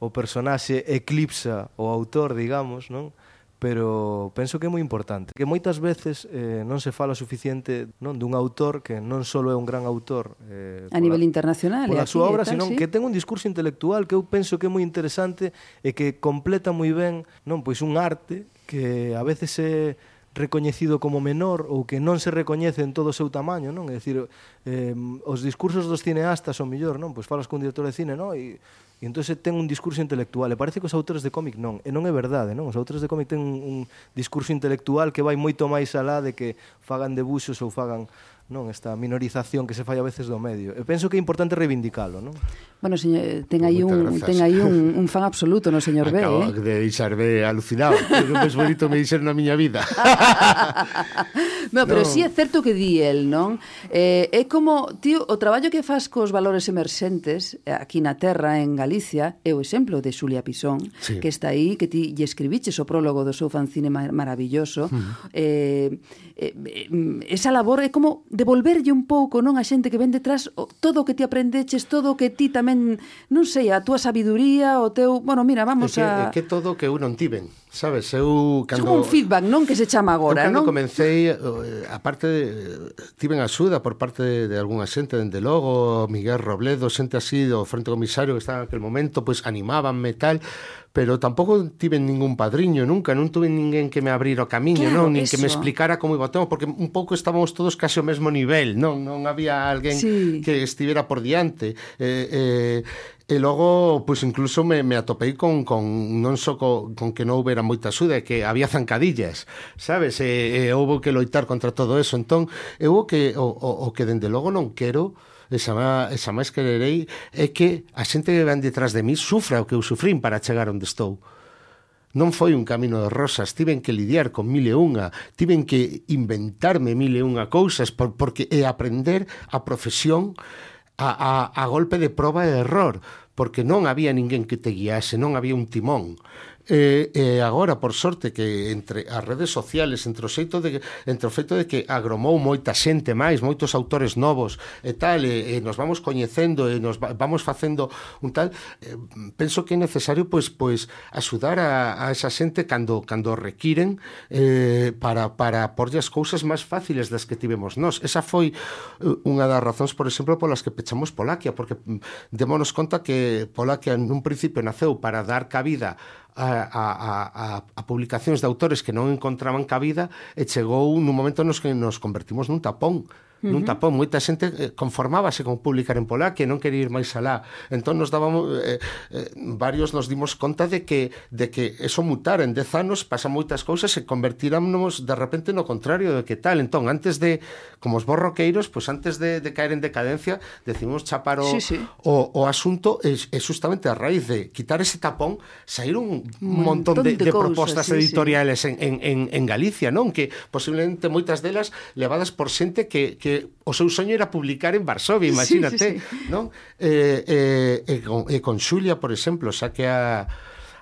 o personaxe eclipsa o autor, digamos, non? Pero penso que é moi importante, que moitas veces eh, non se fala suficiente, non, dun autor que non só é un gran autor eh, a nivel internacional pola súa obra, tal, senón sí? que ten un discurso intelectual que eu penso que é moi interesante e que completa moi ben, non, pois un arte que a veces é recoñecido como menor ou que non se recoñece en todo o seu tamaño, non? É dicir, eh, os discursos dos cineastas son mellor, non? Pois falas cun director de cine, non? E E entón ten un discurso intelectual. E parece que os autores de cómic non. E non é verdade, non? Os autores de cómic ten un, un discurso intelectual que vai moito máis alá de que fagan debuxos ou fagan, non, esta minorización que se fai a veces do medio. E penso que é importante reivindicalo, non? Bueno, señor, ten aí un ten aí un, un fan absoluto no señor B, Acabo eh? de deixar B alucinado. É o máis bonito me dixeron na miña vida. No, pero no. si sí é certo que di el, non? Eh, é como, tío, o traballo que faz cos valores emerxentes aquí na terra, en Galicia, é o exemplo de Xulia Pisón, sí, que está aí, que ti lle escribiches o prólogo do seu fanzine mar maravilloso. Uh-huh. eh, eh, esa labor é como devolverlle un pouco, non, a xente que ven detrás o, todo o que ti aprendeches, todo o que ti tamén, non sei, a túa sabiduría, o teu... Bueno, mira, vamos é que, a... É que todo que eu non tiven, sabes? Eu cando... É como un feedback, non? Que se chama agora, non? Non? Cando comecei, aparte, tiven axuda por parte de, de algunha xente, dende logo, Miguel Robledo, xente así do Frente Comisario que estaba en aquel momento, pois animábanme tal, pero tampouco tiven ningún padriño nunca, non tuve ninguén que me abrira o camiño, claro, non, nin eso. que me explicara como iba o tema, porque un pouco estábamos todos case ao mesmo nivel, non, non había alguén sí. que estivera por diante. Eh, eh, e logo, pois incluso me, me atopei con, con non só co, con que non houbera moita axuda, é que había zancadillas, sabes? E, e houve que loitar contra todo eso. Entón, eu o que o, o, o que dende logo non quero, esa, esa máis quererei, é que a xente que ven detrás de mí sufra o que eu sufrín para chegar onde estou. Non foi un camino de rosas, tiven que lidiar con mil e unha, tiven que inventarme mil e unha cousas, por, porque é aprender a profesión a, a, a golpe de proba e error, porque non había ninguén que te guiase, non había un timón. E, e agora, por sorte, que entre as redes sociales, entre o xeito de, entre o feito de que agromou moita xente máis, moitos autores novos e tal, e, e nos vamos coñecendo e nos va, vamos facendo un tal, eh, penso que é necesario pois pois axudar a, a esa xente cando cando requiren eh, para para porlle as cousas máis fáciles das que tivemos nós. Esa foi unha das razóns, por exemplo, polas que pechamos Polaquia, porque démonos conta que Polaquia nun principio naceu para dar cabida A, a, a, a publicacións de autores que non encontraban cabida e chegou nun momento nos que nos convertimos nun tapón. Uh-huh. Nun tapón, moita xente conformábase con publicar en Polaquia e non quería ir máis alá. Entón nos dábamos eh, eh, varios nos dimos conta de que de que eso mutara en dez anos, pasan moitas cousas e convertiramos de repente no contrario de que tal. Entón, antes de como os borroqueiros, pois pues antes de, de caer en decadencia, decidimos chapar o, sí, sí. o, o asunto e, e justamente a raíz de quitar ese tapón, saíron un, un montón, montón de, de, de propostas sí, editoriales sí. En, en, en Galicia, non? Que posiblemente moitas delas levadas por xente que, que o seu soño era publicar en Varsovia, imagínate, sí, sí, sí. Non? Eh, eh, e, con, e con Xulia, por exemplo, xa que a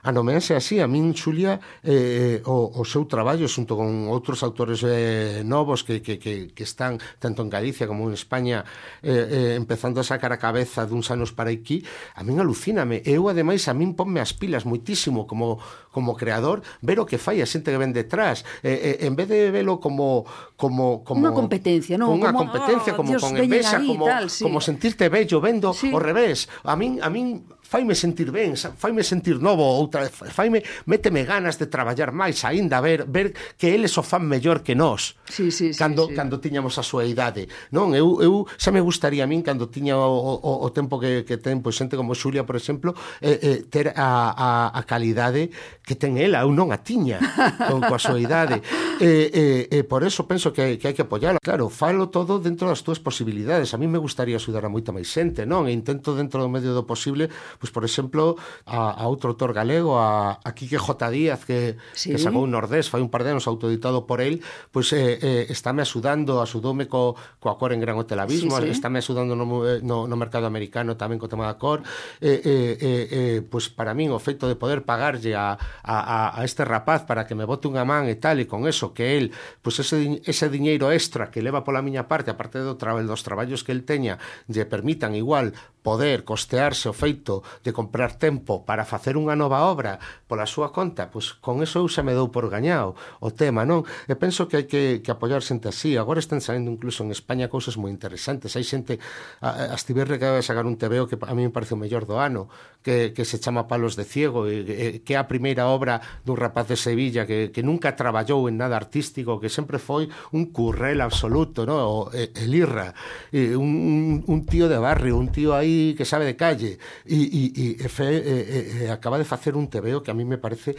anomeanse así. A min, Xulia, eh, o, o seu traballo xunto con outros autores eh, novos que, que, que, que están tanto en Galicia como en España eh, eh, empezando a sacar a cabeza duns anos para aquí, a min alucíname. Eu, ademais, a min ponme as pilas moitísimo como, como creador, ver o que fai a xente que ven detrás, eh, eh, en vez de velo como como, como unha competencia, non? Unha como, competencia, oh, como Dios, con envexa, como, tal, sí. como sentirte bello vendo sí. ao revés. A min, a min faime sentir ben, faime sentir novo, outra, faime, méteme ganas de traballar máis aínda, ver, ver que eles o fan mellor que nós. Sí, sí, sí, cando, sí. cando tiñamos a súa idade. Non, eu, eu xa me gustaría a min, cando tiña o, o, o tempo que, que ten, pois, xente como Xulia, por exemplo, eh, eh, ter a, a, a calidade que ten ela, eu non a tiña con, coa súa idade. E eh, eh, eh, por eso penso que, que hai que apoiarla. Claro, falo todo dentro das túas posibilidades. A mí me gustaría axudar a moita máis xente, non? E intento dentro do medio do posible, pois, por exemplo, a, a outro autor galego, a, a Quique J. Díaz, que, sí. que sacou un Nordés, fai un par de anos autoeditado por el, pois eh, eh, estáme axudando, axudoume co, coa cor en Gran Hotel Abismo, sí, sí. estáme axudando no, no, no mercado americano tamén co tema da cor, eh, eh, eh, eh, pois para min o feito de poder pagarlle a, a, a este rapaz para que me bote unha man e tal, e con eso que el, pois ese, ese diñeiro extra que leva pola miña parte, aparte do tra dos traballos que el teña, lle permitan igual poder costearse o feito de comprar tempo para facer unha nova obra pola súa conta, pois con eso eu xa me dou por gañado o tema, non? E penso que hai que, que apoiar xente así. Agora están saindo incluso en España cousas moi interesantes. Hai xente, a, a Stiberre que vai sacar un T V O que a mí me parece o mellor do ano, que, que se chama Palos de Ciego, e, e, que é a primeira obra dun rapaz de Sevilla que, que nunca traballou en nada artístico, que sempre foi un currel absoluto, no? O, el Irra, e un, un tío de barrio, un tío aí que sabe de calle, e, e, e, fe, e, e, e acaba de facer un T V O que a mí me parece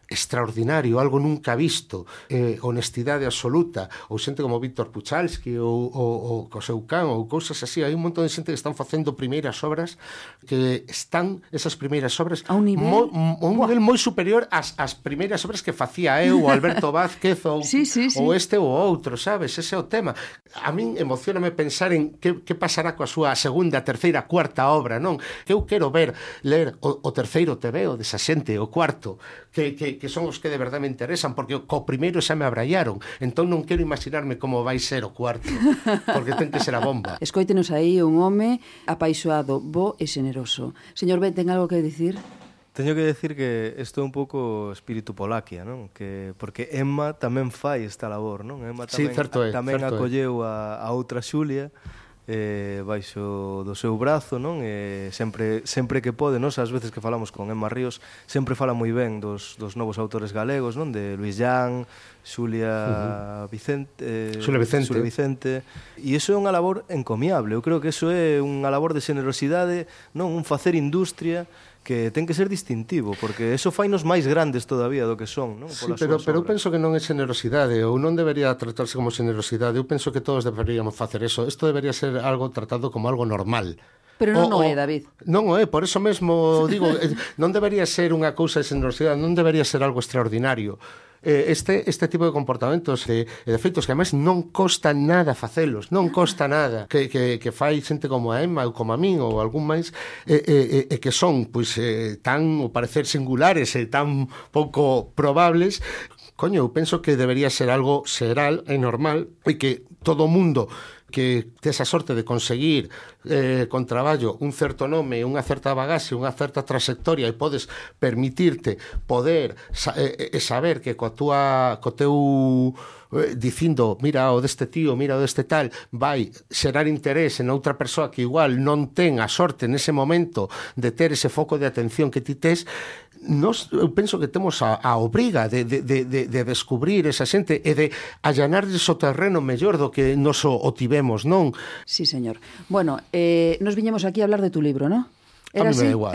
extraordinario, algo nunca visto, eh, honestidade absoluta, ou xente como Víctor Puchalski ou, ou, ou Coseu Can ou cousas así. Hai un montón de xente que están facendo primeiras obras que están, esas primeiras obras a un nivel, mo, a un nivel moi superior ás, ás primeiras obras que facía eu, ou Alberto Vázquez ou, sí, sí, sí. ou este ou outro, sabes? Ese é o tema. A min emocioname pensar en que, que pasará coa súa segunda, terceira, cuarta obra, non? Que eu quero ver, ler o, o terceiro T V O desa xente, o cuarto, que, que que son os que de verdade me interesan, porque co primeiro xa me abraiaron, entón non quero imaginarme como vai ser o cuarto, porque ten que ser a bomba. Escoítenos aí un home apaixoado, bo e xeneroso. Señor Ben, ten algo que dicir? Teño que decir que isto é un pouco espírito Polaquia, non? Que porque Emma tamén fai esta labor, non? Emma tamén, sí, certo é, tamén certo acolleu a, a outra Xulia eh, baixo do seu brazo, non? E sempre, sempre que pode, non? As veces que falamos con Emma Ríos, sempre fala moi ben dos, dos novos autores galegos, non? De Luis Llán, Xulia uh -huh. Vicente, eh, Xulia Vicente. Xulia Vicente. E iso é unha labor encomiable. Eu creo que iso é unha labor de xenerosidade, non? Un facer industria que ten que ser distintivo, porque eso fainos máis grandes todavía do que son, non? Sí, pero, pero eu penso que non é xenerosidade, ou non debería tratarse como xenerosidade. Eu penso que todos deberíamos facer eso. Isto debería ser algo tratado como algo normal. Pero non o, o é, David. Non o é, por eso mesmo digo, non debería ser unha cousa de xenerosidade, non debería ser algo extraordinario. Este, este tipo de comportamentos e de, de feitos que además non costa nada facelos, non costa nada que, que, que fai xente como a Emma ou como a min ou algún máis e, e, e que son pois, eh, tan, ao parecer, singulares e tan pouco probables. Coño, eu penso que debería ser algo xeral e normal e que todo o mundo que tes a sorte de conseguir eh, con traballo un certo nome, unha certa bagaxe, unha certa trayectoria e podes permitirte poder sa eh, eh, saber que coa tua, co teu eh, dicindo, mira o deste tío, mira o deste tal, vai xerar interés en outra persoa que igual non ten a sorte nese momento de ter ese foco de atención que ti tes. Nos, eu penso que temos a, a obriga de, de, de, de descubrir esa xente e de allanarles o terreno mellor do que nos o, o tivemos, non? Sí, señor. Bueno, eh, nos viñemos aquí a hablar de tu libro, non? Era a mí me así? Igual.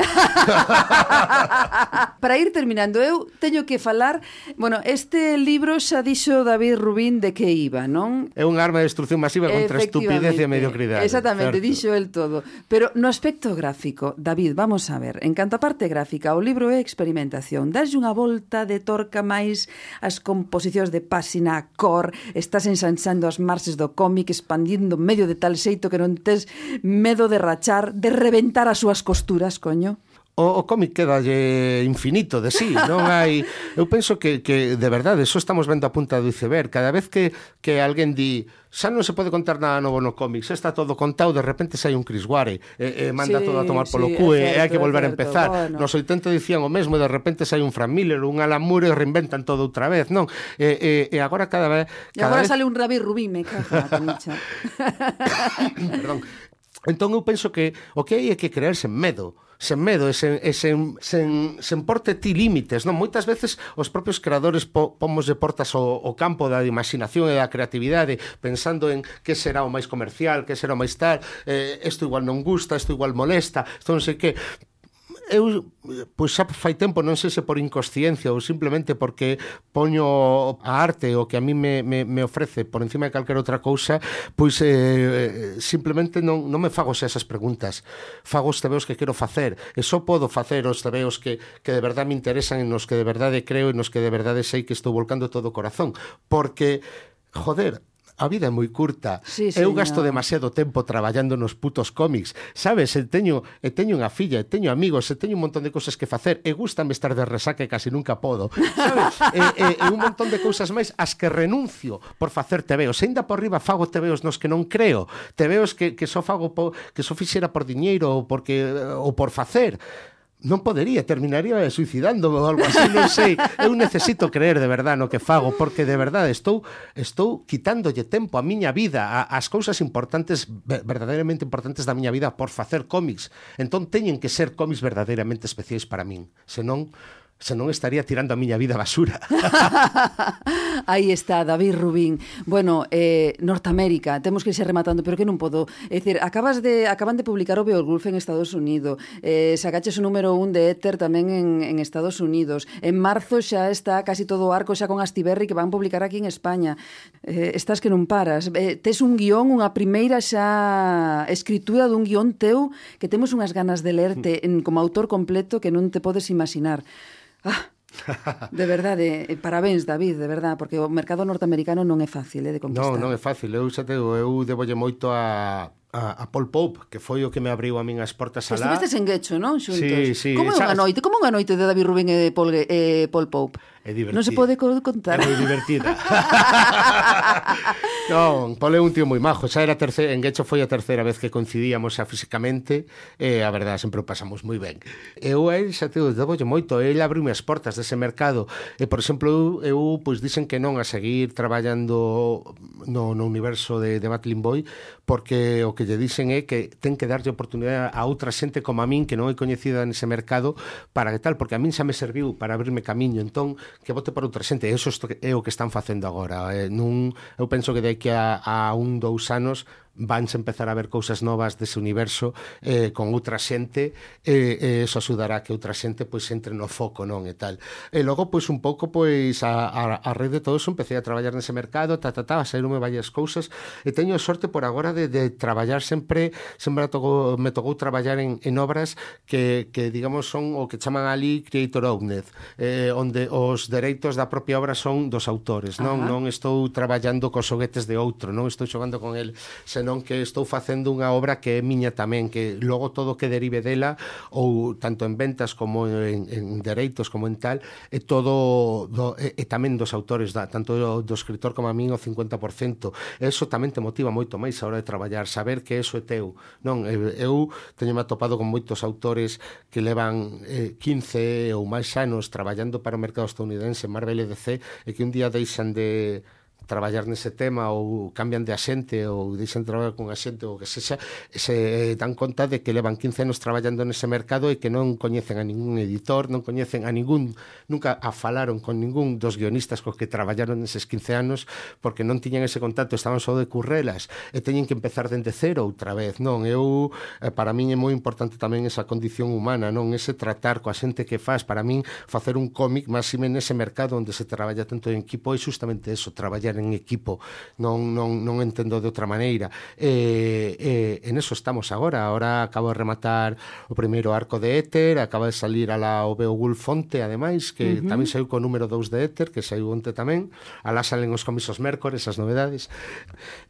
Para ir terminando, eu teño que falar, bueno, este libro xa dixo David Rubín de que iba, non? É un arma de destrucción masiva contra a estupidez e a mediocridade. Exactamente, certo. Dixo el todo. Pero no aspecto gráfico, David, vamos a ver, en canto a parte gráfica, o libro é experimentación. Daslle unha volta de torca máis as composicións de páxina, a cor, estás ensanchando as marxes do cómic, expandindo medio de tal xeito que non tes medo de rachar, de reventar as súas costuras, coño. o, o cómic quedalle infinito de sí, non hai... Eu penso que, que de verdade, eso estamos vendo a punta do iceberg. Cada vez que, que alguén di xa non se pode contar nada novo no cómic, xa está todo contado, de repente sai un Chris Ware e, e manda sí, todo a tomar polo sí, cu e hai que volver a empezar. Bueno. Nos oitenta dicían o mesmo e de repente sai un Frank Miller, un Alan Moore e reinventan todo outra vez, non? E, e, e agora cada vez... E agora vez... sale un Ravi Rubin, me caja, Camicha. Perdón. Entón eu penso que o que hai é que creerse en medo, sen medo e sen, e sen, sen, sen porte ti límites, non? Moitas veces os propios creadores po, pomos de portas o, o campo da imaginación e da creatividade pensando en que será o máis comercial, que será o máis tal, eh, isto igual non gusta, isto igual molesta, isto non sei que... Eu, pois xa fai tempo, non sei se por inconsciencia ou simplemente porque poño a arte o que a mí me, me, me ofrece por encima de calquera outra cousa, pois eh, simplemente non, non me fago xa esas preguntas, fago os tebeos que quero facer e só podo facer os tebeos que, que de verdade me interesan e nos que de verdade creo e nos que de verdade sei que estou volcando todo o corazón, porque, joder, a vida é moi curta. Sí, eu gasto demasiado tempo traballando nos putos cómics, sabes? E teño, e teño unha filla, e teño amigos, e teño un montón de cousas que facer, e gústame estar de resaca e casi nunca podo, sabes? e, e, e un montón de cousas máis as que renuncio por facer tebeos. E ainda por riba fago tebeos nos que non creo, tebeos que, que só fago po, que só fixera por diñeiro ou, porque, ou por facer. Non podería, terminaría suicidándome ou algo así, non sei. Eu necesito creer de verdade no que fago, porque de verdade estou estou quitándolle tempo a miña vida, a, as cousas importantes, verdadeiramente importantes da miña vida por facer cómics. Entón teñen que ser cómics verdadeiramente especiais para min, senón senón estaría tirando a miña vida a basura. Aí está, David Rubin. Bueno, eh, Norteamérica, temos que ir rematando, pero que non podo. É dicir, acabas de, acaban de publicar o Beowulf en Estados Unidos, eh, sacaches o número un de Éter tamén en, en Estados Unidos. En marzo xa está casi todo o arco xa con Astiberri que van publicar aquí en España. Eh, estás que non paras. Eh, tes un guión, unha primeira xa escritura dun guión teu que temos unhas ganas de lerte en, como autor completo que non te podes imaginar. Ah, de verdade, parabéns, David, de verdade, porque o mercado norteamericano non é fácil eh, de conquistar. Non, non é fácil, eu xa te digo, eu debolle moito a... a, a Paul Pope, que foi o que me abriu a min as portas alá. Estivestes en Guecho, non? Xuntos. Sí, sí. Como é unha noite? Como unha noite de David Rubin e Paul, e Paul Pope? É divertida. Non se pode contar. É moi divertida. Non, Paul é un tío moi majo. Xa era terceira, en Guecho foi a terceira vez que coincidíamos xa físicamente e a verdade sempre o pasamos moi ben. Eu a él xa te debolle moito, ele abriu as portas dese mercado e, por exemplo, eu, eu pois dicen que non a seguir traballando no, no universo de, de Battling Boy porque o que lle dicen é que ten que darlle oportunidade a outra xente como a min que non é coñecida nese mercado para que tal, porque a min xa me serviu para abrirme camiño, entón que vote para outra xente, e iso é o que están facendo agora. Eh, nun, eu penso que de aquí a, a un, dous anos vanse empezar a ver cousas novas dese universo eh, con outra xente e eh, eso axudará que outra xente pois entre no foco, non, e tal. E logo pois un pouco pois a, a, a red de todo eso empecé a traballar nese mercado, ta, ta, ta, a saíronme varias cousas e teño sorte por agora de, de traballar sempre, sempre me tocou, me tocou traballar en, en obras que, que digamos son o que chaman ali creator owned, eh, onde os dereitos da propia obra son dos autores, non? Ajá. Non estou traballando cos xoguetes de outro, non estou xogando con el, senón que estou facendo unha obra que é miña tamén, que logo todo que derive dela, ou tanto en ventas como en, en dereitos como en tal, é todo do, e, e tamén dos autores, da, tanto do, do escritor como a min o cincuenta por cento. Eso tamén te motiva moito máis a hora de traballar, saber que eso é teu. Non, eu teño me atopado con moitos autores que levan eh, quince ou máis anos traballando para o mercado estadounidense, Marvel e D C, e que un día deixan de traballar nese tema ou cambian de axente ou deixan de traballar con axente ou que sexa, se dan conta de que levan quince anos traballando nese mercado e que non coñecen a ningún editor, non coñecen a ningún, nunca a falaron con ningún dos guionistas cos que traballaron neses quince anos porque non tiñan ese contacto, estaban só de currelas e teñen que empezar dende cero outra vez, non? Eu, para min é moi importante tamén esa condición humana, non? Ese tratar coa xente que faz, para min facer un cómic máxime nese mercado onde se traballa tanto en equipo é justamente eso, traballar traballar en equipo, non, non, non entendo de outra maneira. E, e, en eso estamos agora. Agora acabo de rematar o primeiro arco de Éter, acaba de salir a la o Beowulf Fonte, ademais, que uh-huh. tamén saiu co número dous de Éter, que saiu onte tamén. Alá salen os comisos Mércores, as novedades.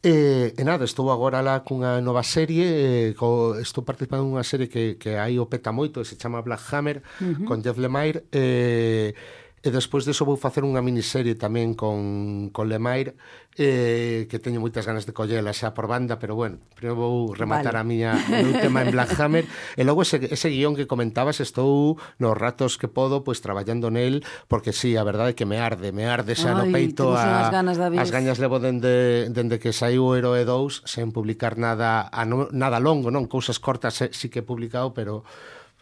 E, e nada, estou agora lá cunha nova serie, e, co, estou participando nunha serie que, que aí o peta moito, que se chama Black Hammer, uh-huh. con Jeff Lemire, e... E despois disso vou facer unha miniserie tamén con, con Lemire, eh, que teño moitas ganas de collela xa por banda, pero bueno, primeiro vou rematar vale. a miña o meu tema en Black Hammer, e logo ese, ese guión que comentabas, estou nos ratos que podo pois traballando nel, porque sí, a verdade é que me arde, me arde xa Ay, no peito a, ganas, as gañas levo dende, dende que saiu o Heroe dous, sen publicar nada, a no, nada longo, non, cousas cortas sí que he publicado, pero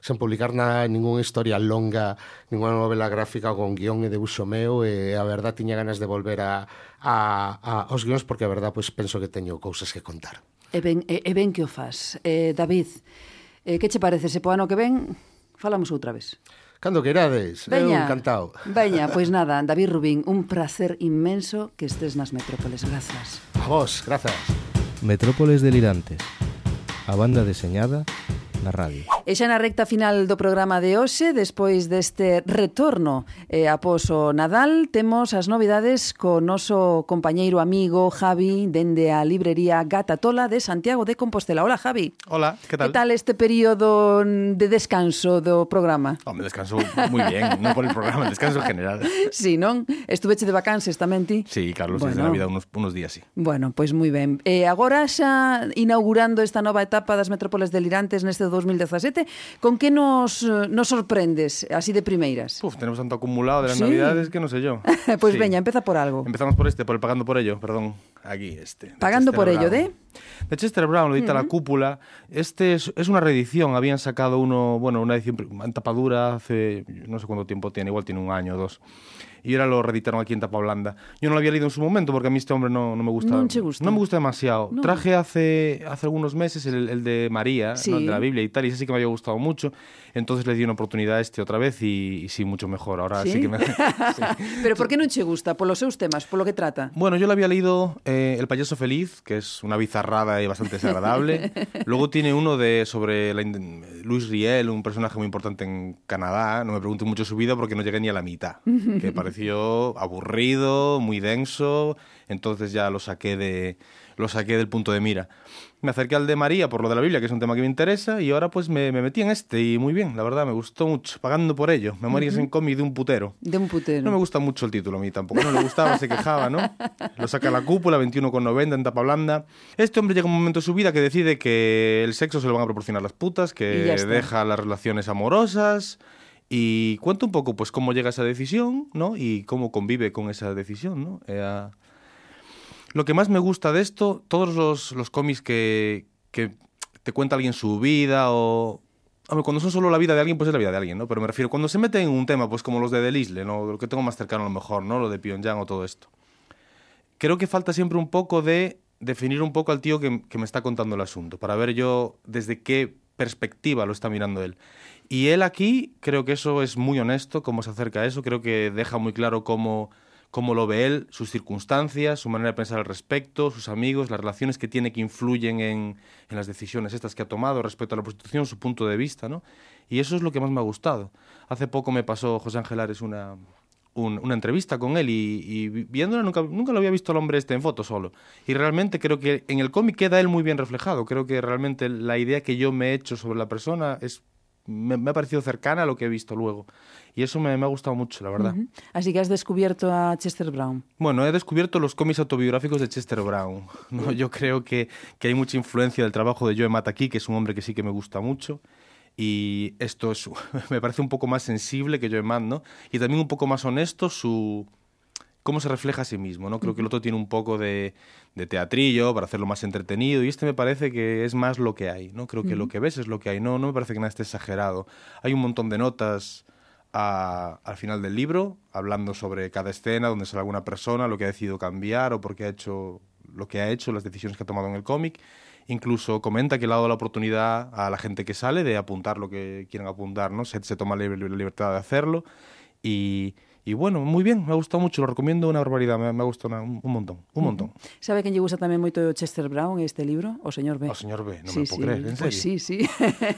sen publicar nada, ninguna historia longa, ninguna novela gráfica con guión e debuxo meu, e a verdad tiña ganas de volver a, a, a aos guións, porque a verdad pois, penso que teño cousas que contar. E ben, e, e ben que o faz. Eh, David, eh, que che parece se po ano que ven falamos outra vez? Cando queirades, eu encantado. Veña, pois nada, David Rubín, un placer inmenso que estés nas Metrópoles. Grazas. A vos, grazas. Metrópoles delirantes, a banda deseñada na radio. E xa na recta final do programa de hoxe, despois deste retorno eh, após o Nadal, temos as novidades co noso compañeiro amigo Javi dende a librería Gata Tola de Santiago de Compostela. Hola, Javi. Hola, que tal? Que tal este período de descanso do programa? Home, descanso moi bien, non por el programa, descanso general. Sí, non? Estuveche de vacances tamén ti? Sí, Carlos, bueno, desde Navidad unos, unos días, sí. Bueno, pois pues moi ben. E agora xa inaugurando esta nova etapa das Metrópoles delirantes neste dos mil dezasete, con que nos, nos sorprendes así de primeiras? Uf, tenemos tanto acumulado de las ¿Sí? Navidades que no sé yo. Pues sí. veña, empeza por algo. Empezamos por este, por el Pagando por ello, perdón. Aquí, este. Pagando por Brown. ello, ¿de? De Chester Brown, lo edita uh-huh. La Cúpula. Este es, es una reedición. Habían sacado uno, bueno, una edición en tapadura hace, no sé cuánto tiempo tiene, igual tiene un año o dos. Y ahora lo reeditaron aquí en tapa blanda. Yo no lo había leído en su momento porque a mí este hombre no, no me gusta. No te gusta. No me gusta demasiado. No. Traje hace, hace algunos meses el, el de María, sí. ¿no? El de la Biblia y tal, y ese sí que me había gustado mucho. Entonces le di una oportunidad a este otra vez y, y sí, mucho mejor. Ahora sí, sí que me... sí. Pero por qué non che gusta? Por los seus temas, por lo que trata? Bueno, yo le había leído eh, El payaso feliz, que es una bizarrada y bastante desagradable. Luego tiene uno de sobre la, Louis Riel, un personaje muy importante en Canadá. No me pregunten mucho su vida porque no llegué ni a la mitad. Que pareció aburrido, muy denso, entonces ya lo saqué de lo saqué del punto de mira. Me acerqué al de María por lo de la Biblia, que es un tema que me interesa, y ahora pues me, me metí en este, y muy bien, la verdad, me gustó mucho. Pagando por ello, Memorias uh-huh. en cómic de un putero. De un putero. No me gusta mucho el título a mí tampoco, no le gustaba, se quejaba, ¿no? Lo saca La Cúpula, veintiuno con noventa en tapa blanda. Este hombre llega un momento en su vida que decide que el sexo se lo van a proporcionar las putas, que deja las relaciones amorosas... Y cuenta un poco pues cómo llega a esa decisión, ¿no? Y cómo convive con esa decisión, ¿no? Eh, lo que más me gusta de esto, todos los, los cómics que, que te cuenta alguien su vida o... Hombre, cuando son solo la vida de alguien, pues es la vida de alguien, ¿no? Pero me refiero, cuando se mete en un tema, pues como los de Delisle, ¿no? Lo que tengo más cercano a lo mejor, ¿no? Lo de Pyongyang o todo esto. Creo que falta siempre un poco de definir un poco al tío que, que me está contando el asunto, para ver yo desde qué perspectiva lo está mirando él. Y él aquí, creo que eso es muy honesto, cómo se acerca a eso, creo que deja muy claro cómo, cómo lo ve él, sus circunstancias, su manera de pensar al respecto, sus amigos, las relaciones que tiene que influyen en, en las decisiones estas que ha tomado respecto a la prostitución, su punto de vista, ¿no? Y eso es lo que más me ha gustado. Hace poco me pasó José Ángel Ares una, un, una entrevista con él y, y viéndola nunca, nunca lo había visto al hombre este en foto solo. Y realmente creo que en el cómic queda él muy bien reflejado. Creo que realmente la idea que yo me he hecho sobre la persona es... Me, me ha parecido cercana a lo que he visto luego. Y eso me, me ha gustado mucho, la verdad. Uh-huh. Así que has descubierto a Chester Brown. Bueno, he descubierto los cómics autobiográficos de Chester Brown, ¿no? Yo creo que, que hay mucha influencia del trabajo de Joe Mataki, que es un hombre que sí que me gusta mucho. Y esto es, me parece un poco más sensible que Joe Matt, ¿no? Y también un poco más honesto su... cómo se refleja a sí mismo, ¿no? Creo que el otro tiene un poco de, de teatrillo para hacerlo más entretenido y este me parece que es más lo que hay, ¿no? Creo que uh-huh. lo que ves es lo que hay, no, no me parece que nada esté exagerado. Hay un montón de notas a, al final del libro, hablando sobre cada escena, donde sale alguna persona, lo que ha decidido cambiar o por qué ha hecho lo que ha hecho, las decisiones que ha tomado en el cómic. Incluso comenta que le ha dado la oportunidad a la gente que sale de apuntar lo que quieren apuntar, ¿no? Se, se toma la libertad de hacerlo y... Y bueno, muy bien, me ha gustado mucho, lo recomiendo una barbaridad, me, me ha gustado una, un, un montón, un montón. Uh-huh. Sabe quen lle gusta tamén moito Chester Brown este libro? O señor B. O señor B, non sí, me lo puedo sí. creer, en serio. Pues sí, sí.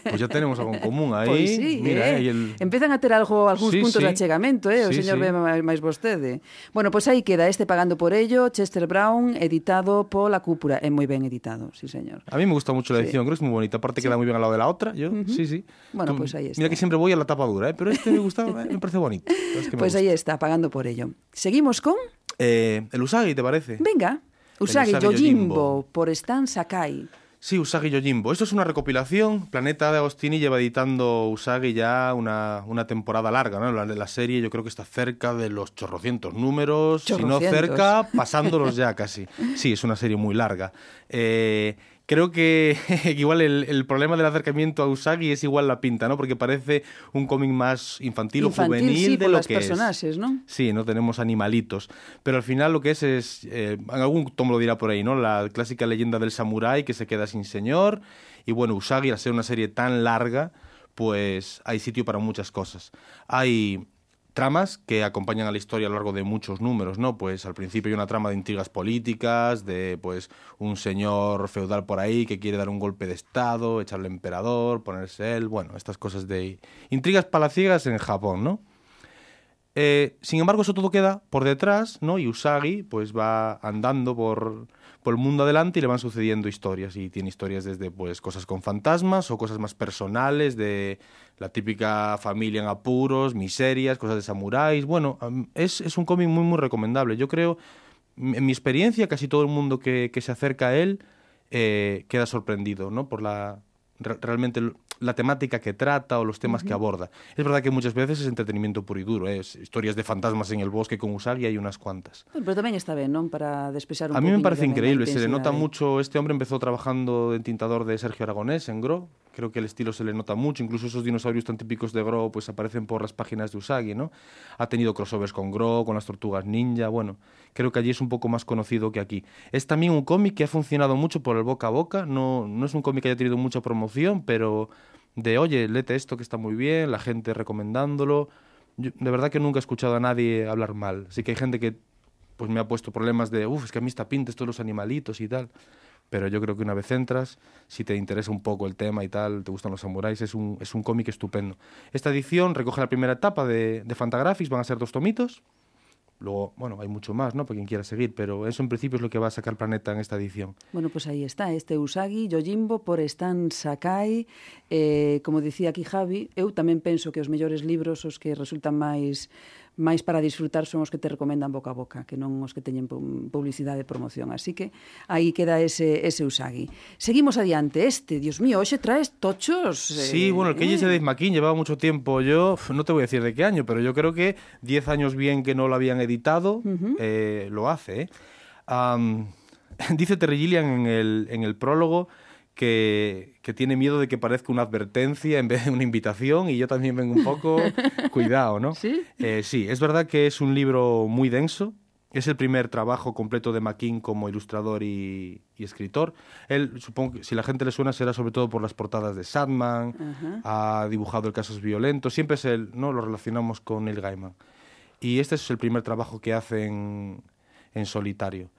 Pues ya tenemos algo en común aí. Pois pues sí, Mira, eh? eh, el... Empezan a ter algo, algúns sí, puntos sí. de achegamento, eh? O sí, señor sí. B máis vostede. Bueno, pois pues aí queda este Pagando por ello, Chester Brown, editado pola Cúpula. É moi ben editado, sí, señor. A mí me gusta mucho la edición, sí. Creo que es muy bonita. Aparte sí. Queda muy bien al lado de la otra, yo, uh-huh. sí, sí. Bueno, pues ahí está. Mira que siempre voy a la tapa dura, ¿eh? Pero este me gustaba, me parece bonito. Es que pues gusta. Ahí está, Pagando por ello. Seguimos con... Eh, el Usagi, ¿te parece? Venga, Usagi, Usagi Yojimbo, Yojimbo, por Stan Sakai. Sí, Usagi Yojimbo. Esto es una recopilación. Planeta de Agostini lleva editando Usagi ya una, una temporada larga, ¿no? La, la serie yo creo que está cerca de los chorrocientos números, chorrocientos. Si no cerca, pasándolos ya casi. Sí, es una serie muy larga. Eh... Creo que igual el, el problema del acercamiento a Usagi es igual la pinta, ¿no? Porque parece un cómic más infantil, infantil o juvenil sí, de por lo las que personajes, es. ¿no? Sí, no tenemos animalitos. Pero al final lo que es es, eh, algún tomo lo dirá por ahí, ¿no? La clásica leyenda del samurái que se queda sin señor. Y bueno, Usagi, al ser una serie tan larga, pues hay sitio para muchas cosas. Hay tramas que acompañan a la historia a lo largo de muchos números, ¿no? Pues al principio hay una trama de intrigas políticas, de pues un señor feudal por ahí que quiere dar un golpe de estado, echarle emperador, ponerse él, bueno, estas cosas de intrigas palaciegas en Japón, ¿no? Eh, sin embargo, eso todo queda por detrás, ¿no? Y Usagi pues va andando por, por el mundo adelante y le van sucediendo historias. Y tiene historias desde pues cosas con fantasmas o cosas más personales, de la típica familia en apuros, miserias, cosas de samuráis. Bueno, es, es un cómic muy, muy recomendable. Yo creo, en mi experiencia, casi todo el mundo que, que se acerca a él eh, queda sorprendido, ¿no? Por la re, realmente la temática que trata o los temas uh-huh. que aborda. Es verdad que muchas veces es entretenimiento puro y duro, ¿eh? Es historias de fantasmas en el bosque con Usagi hay unas cuantas. Bueno, pero tamén está ben, non? Para despexar un A mí me parece increíble, se le nota de... mucho, este hombre empezó trabajando en tintador de Sergio Aragonés en Gro, creo que el estilo se le nota mucho, incluso esos dinosaurios tan típicos de Gro pues aparecen por las páginas de Usagi, ¿no? Ha tenido crossovers con Gro, con las tortugas ninja, bueno, creo que allí es un poco más conocido que aquí. Es también un cómic que ha funcionado mucho por el boca a boca, no, no es un cómic que haya tenido mucha promoción, pero de, oye, léete esto que está muy bien, la gente recomendándolo. Yo, de verdad que nunca he escuchado a nadie hablar mal, así que hay gente que pues me ha puesto problemas de, uff, es que a mí está pinta esto de los animalitos y tal. Pero yo creo que una vez entras, si te interesa un poco el tema y tal, te gustan los samuráis, es un, es un cómic estupendo. Esta edición recoge la primera etapa de, de Fantagraphics, van a ser dos tomitos. Luego, bueno, hay mucho más, ¿no? Para quien quiera seguir, pero eso en principio es lo que va a sacar Planeta en esta edición. Bueno, pues ahí está, este Usagi Yojimbo por Stan Sakai. Eh, como dicía aquí Javi, eu tamén penso que os mellores libros, os que resultan máis máis para disfrutar son os que te recomendan boca a boca, que non os que teñen publicidade e promoción. Así que aí queda ese, ese Usagi. Seguimos adiante. Este, Dios mío, hoxe traes tochos. Eh, sí, bueno, el que eh. ese Dave McKean llevaba mucho tiempo. Yo no te voy a decir de qué año, pero yo creo que diez años bien que no lo habían editado, uh-huh. eh, lo hace. ¿eh? Um, dice Terry Gilliam en el, en el prólogo que, que tiene miedo de que parezca una advertencia en vez de una invitación, y yo también vengo un poco cuidado, ¿no? ¿Sí? Eh, sí, es verdad que es un libro muy denso. Es el primer trabajo completo de McKean como ilustrador y, y escritor. Él, supongo que si la gente le suena, será sobre todo por las portadas de Sandman, uh-huh. ha dibujado el Casos Violentos, siempre es él, ¿no? Lo relacionamos con Neil Gaiman. Y este es el primer trabajo que hace en, en solitario.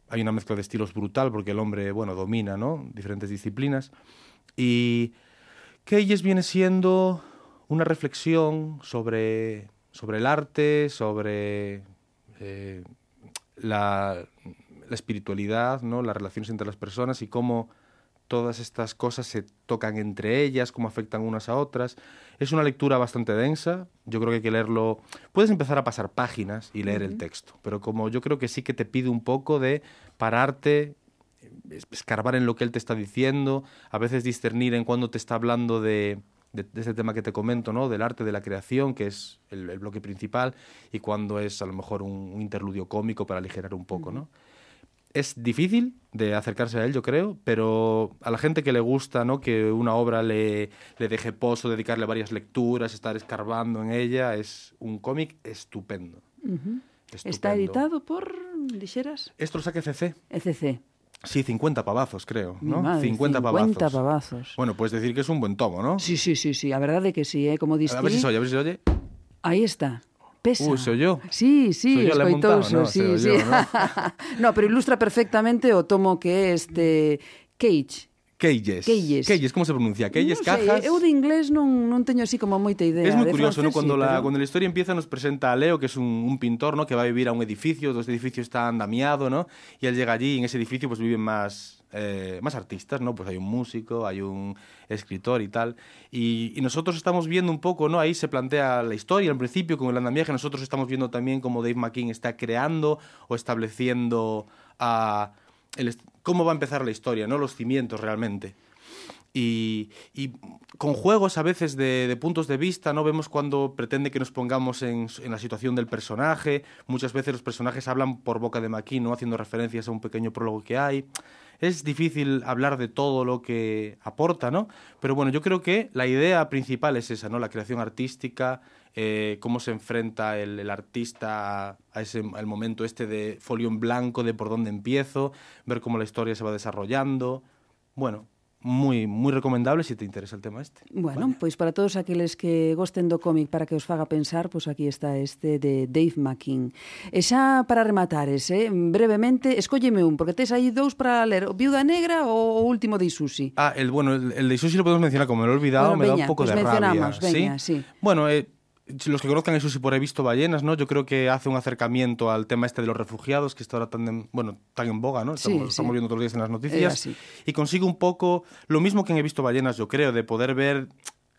Hay una mezcla de estilos brutal porque el hombre, bueno, domina, ¿no? Diferentes disciplinas. Y Keyes viene siendo una reflexión sobre, sobre el arte, sobre eh, la, la espiritualidad, ¿no? Las relaciones entre las personas y cómo todas estas cosas se tocan entre ellas, cómo afectan unas a otras. Es una lectura bastante densa, yo creo que hay que leerlo. Puedes empezar a pasar páginas y leer uh-huh. el texto, pero como yo creo que sí que te pide un poco de pararte, escarbar en lo que él te está diciendo, a veces discernir en cuándo te está hablando de, de, de este tema que te comento, ¿no? Del arte de la creación, que es el, el bloque principal, y cuándo es a lo mejor un, un interludio cómico para aligerar un poco, ¿no? Es difícil de acercarse a él, yo creo, pero a la gente que le gusta, ¿no? Que una obra le, le deje pozo, dedicarle varias lecturas, estar escarbando en ella, es un cómic estupendo. Uh-huh. estupendo. Está editado por, dixeras? Esto lo saca E C C. E C C. Sí, cincuenta pavazos, creo, ¿no? Madre, cincuenta pavazos. cincuenta pavazos. Bueno, puedes decir que es un buen tomo, ¿no? Sí, sí, sí, sí, a verdade que sí, eh? Como diste. A ver si se oye, a ver si se oye. Aí está. pesa. Ui, se oyó. Sí, sí, escoitoso, no, sí, sí. Oyó, ¿no? No, pero ilustra perfectamente o tomo que é este Cage. Cages. Cages. Cages, como se pronuncia? Cages, non cajas. Sei, eu de inglés non, non teño así como moita idea. Es muy de curioso, francés, ¿no? Cuando, sí, la, pero... cuando la historia empieza nos presenta a Leo, que es un, un pintor, ¿no? Que va a vivir a un edificio, este edificio está andamiado, ¿no? Y él llega allí y en ese edificio pues viven más, eh, más artistas, ¿no? Pues hay un músico, hay un escritor y tal. Y, y nosotros estamos viendo un poco, ¿no? Ahí se plantea la historia al principio con el andamiaje. Nosotros estamos viendo también cómo Dave McKean está creando o estableciendo a el, cómo va a empezar la historia, ¿no? Los cimientos realmente. Y, y con juegos a veces de, de puntos de vista, ¿no? Vemos cuando pretende que nos pongamos en, en la situación del personaje. Muchas veces los personajes hablan por boca de McKean, ¿no? Haciendo referencias a un pequeño prólogo que hay. Es difícil hablar de todo lo que aporta, ¿no? Pero bueno, yo creo que la idea principal es esa, ¿no? La creación artística, eh, cómo se enfrenta el, el artista a ese al momento este de folio en blanco, de por dónde empiezo, ver cómo la historia se va desarrollando. Bueno, moi moi recomendable se te interesa el tema este. Bueno, vale. Pois para todos aqueles que gosten do cómic para que os faga pensar, pois aquí está este de Dave McKean. E xa para rematares, eh, brevemente, escólleme un, porque tes aí dous para ler, Viuda Negra ou o último de Isusi. Ah, el bueno, el, el de Isusi lo podemos mencionar, como me lo he olvidado, bueno, me veña, da un poco pues de mencionamos, rabia. Veña, ¿Sí? sí. Bueno, eh, los que conozcan a Isusi por He visto ballenas, ¿no? Yo creo que hace un acercamiento al tema este de los refugiados, que está ahora tan en, bueno, tan en boga, ¿no? Estamos, Sí, sí. estamos viendo todos los días en las noticias. Eh, y consigue un poco lo mismo que en He visto ballenas, yo creo, de poder ver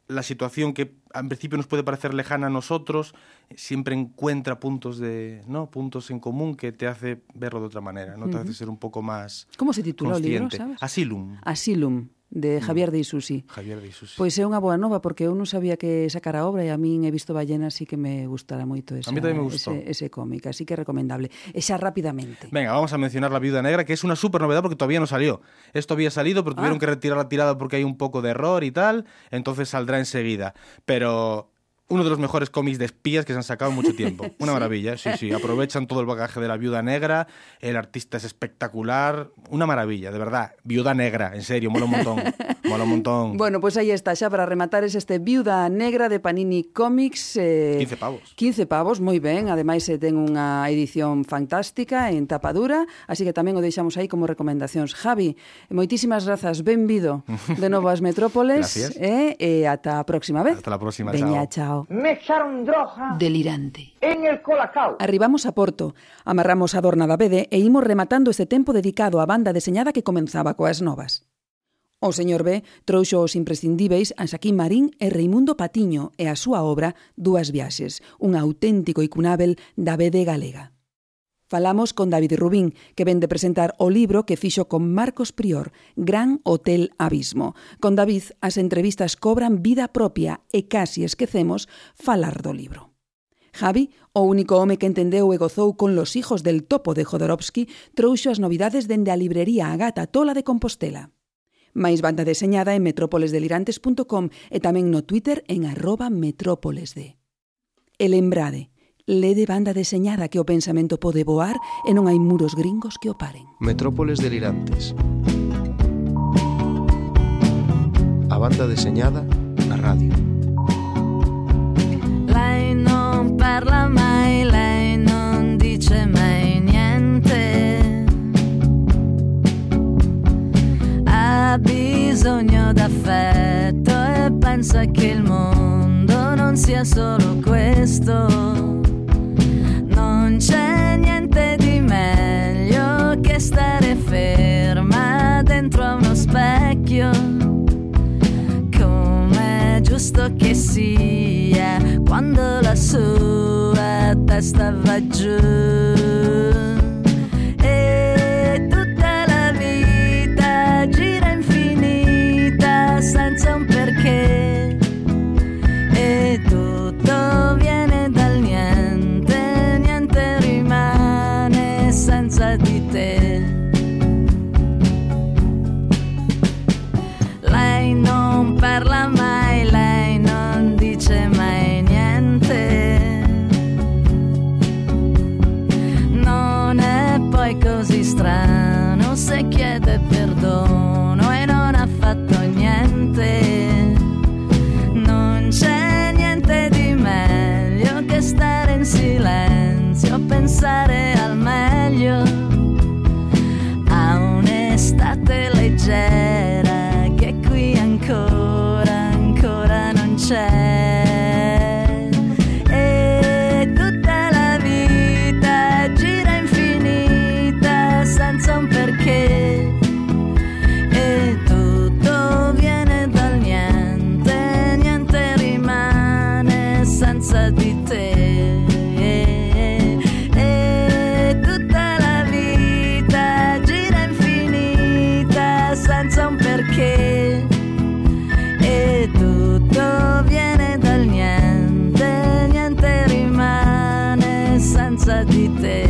la situación que en principio nos puede parecer lejana a nosotros, siempre encuentra puntos de, ¿no? Puntos en común que te hace verlo de otra manera, ¿no? Te uh-huh. hace ser un poco más Como se titula o libro, consciente. sabes? Asylum. Asylum, de Javier de Isusi. Javier de Isusi. Pois é unha boa nova, porque eu non sabía que sacara a obra e a min He visto ballenas e que me gustará moito esa, a mí tamén me gustou. ese, ese cómic, así que recomendable. E xa rapidamente. Venga, vamos a mencionar La Viuda Negra, que es una súper novedad porque todavía no salió. Esto había salido, pero tuvieron ah. que retirar la tirada porque hay un poco de error y tal, entonces saldrá enseguida. Pero uno de los mejores cómics de espías que se han sacado en mucho tiempo. Una ¿Sí? maravilla, sí, sí. Aprovechan todo el bagaje de La Viuda Negra, el artista es espectacular, una maravilla, de verdad. Viuda Negra, en serio, mola un montón. Mola un montón. Bueno, pues aí está, xa para rematar es este Viuda Negra de Panini Comics. Eh, quince pavos. quince pavos, moi ben. Ademais, eh, ten unha edición fantástica en tapadura, así que tamén o deixamos aí como recomendacións. Javi, moitísimas grazas, benvido de novo ás Metrópoles. Gracias. E eh, eh, ata a próxima vez. Hasta la próxima, Veña, chao. chao. Me echaron droga delirante en el colacao. Arribamos a Porto, amarramos a Dorna da Bede e imos rematando este tempo dedicado á banda deseñada que comenzaba coas novas. O señor B trouxo os imprescindíveis a Xaquín Marín e Reimundo Patiño e a súa obra Dúas viaxes, un auténtico icunábel da B D galega. Falamos con David Rubín, que ven de presentar o libro que fixo con Marcos Prior, Gran Hotel Abismo. Con David, as entrevistas cobran vida propia e casi esquecemos falar do libro. Javi, o único home que entendeu e gozou con Los hijos del topo de Jodorowsky, trouxo as novidades dende a librería Agata Tola de Compostela. Mais banda deseñada en metrópoles delirantes punto com e tamén no Twitter en arroba metrópolesd. E lembrade, lede banda deseñada que o pensamento pode voar e non hai muros gringos que o paren. Metrópoles delirantes. A banda deseñada na radio. Lei non parla mai, lei non dice mai niente. Ha bisogno d'affetto e pensa che il mondo non sia solo questo. Non c'è niente di meglio che stare ferma dentro a uno specchio, com'è giusto che sia quando la sua testa va giù. E tutta la vita gira infinita senza un perché, e tutto viene dal niente, niente rimane senza di te. Lei non parla mai, lei non dice mai niente. senza di te. E tutta la vita gira infinita senza un perché. E tutto viene dal niente, niente rimane senza di te.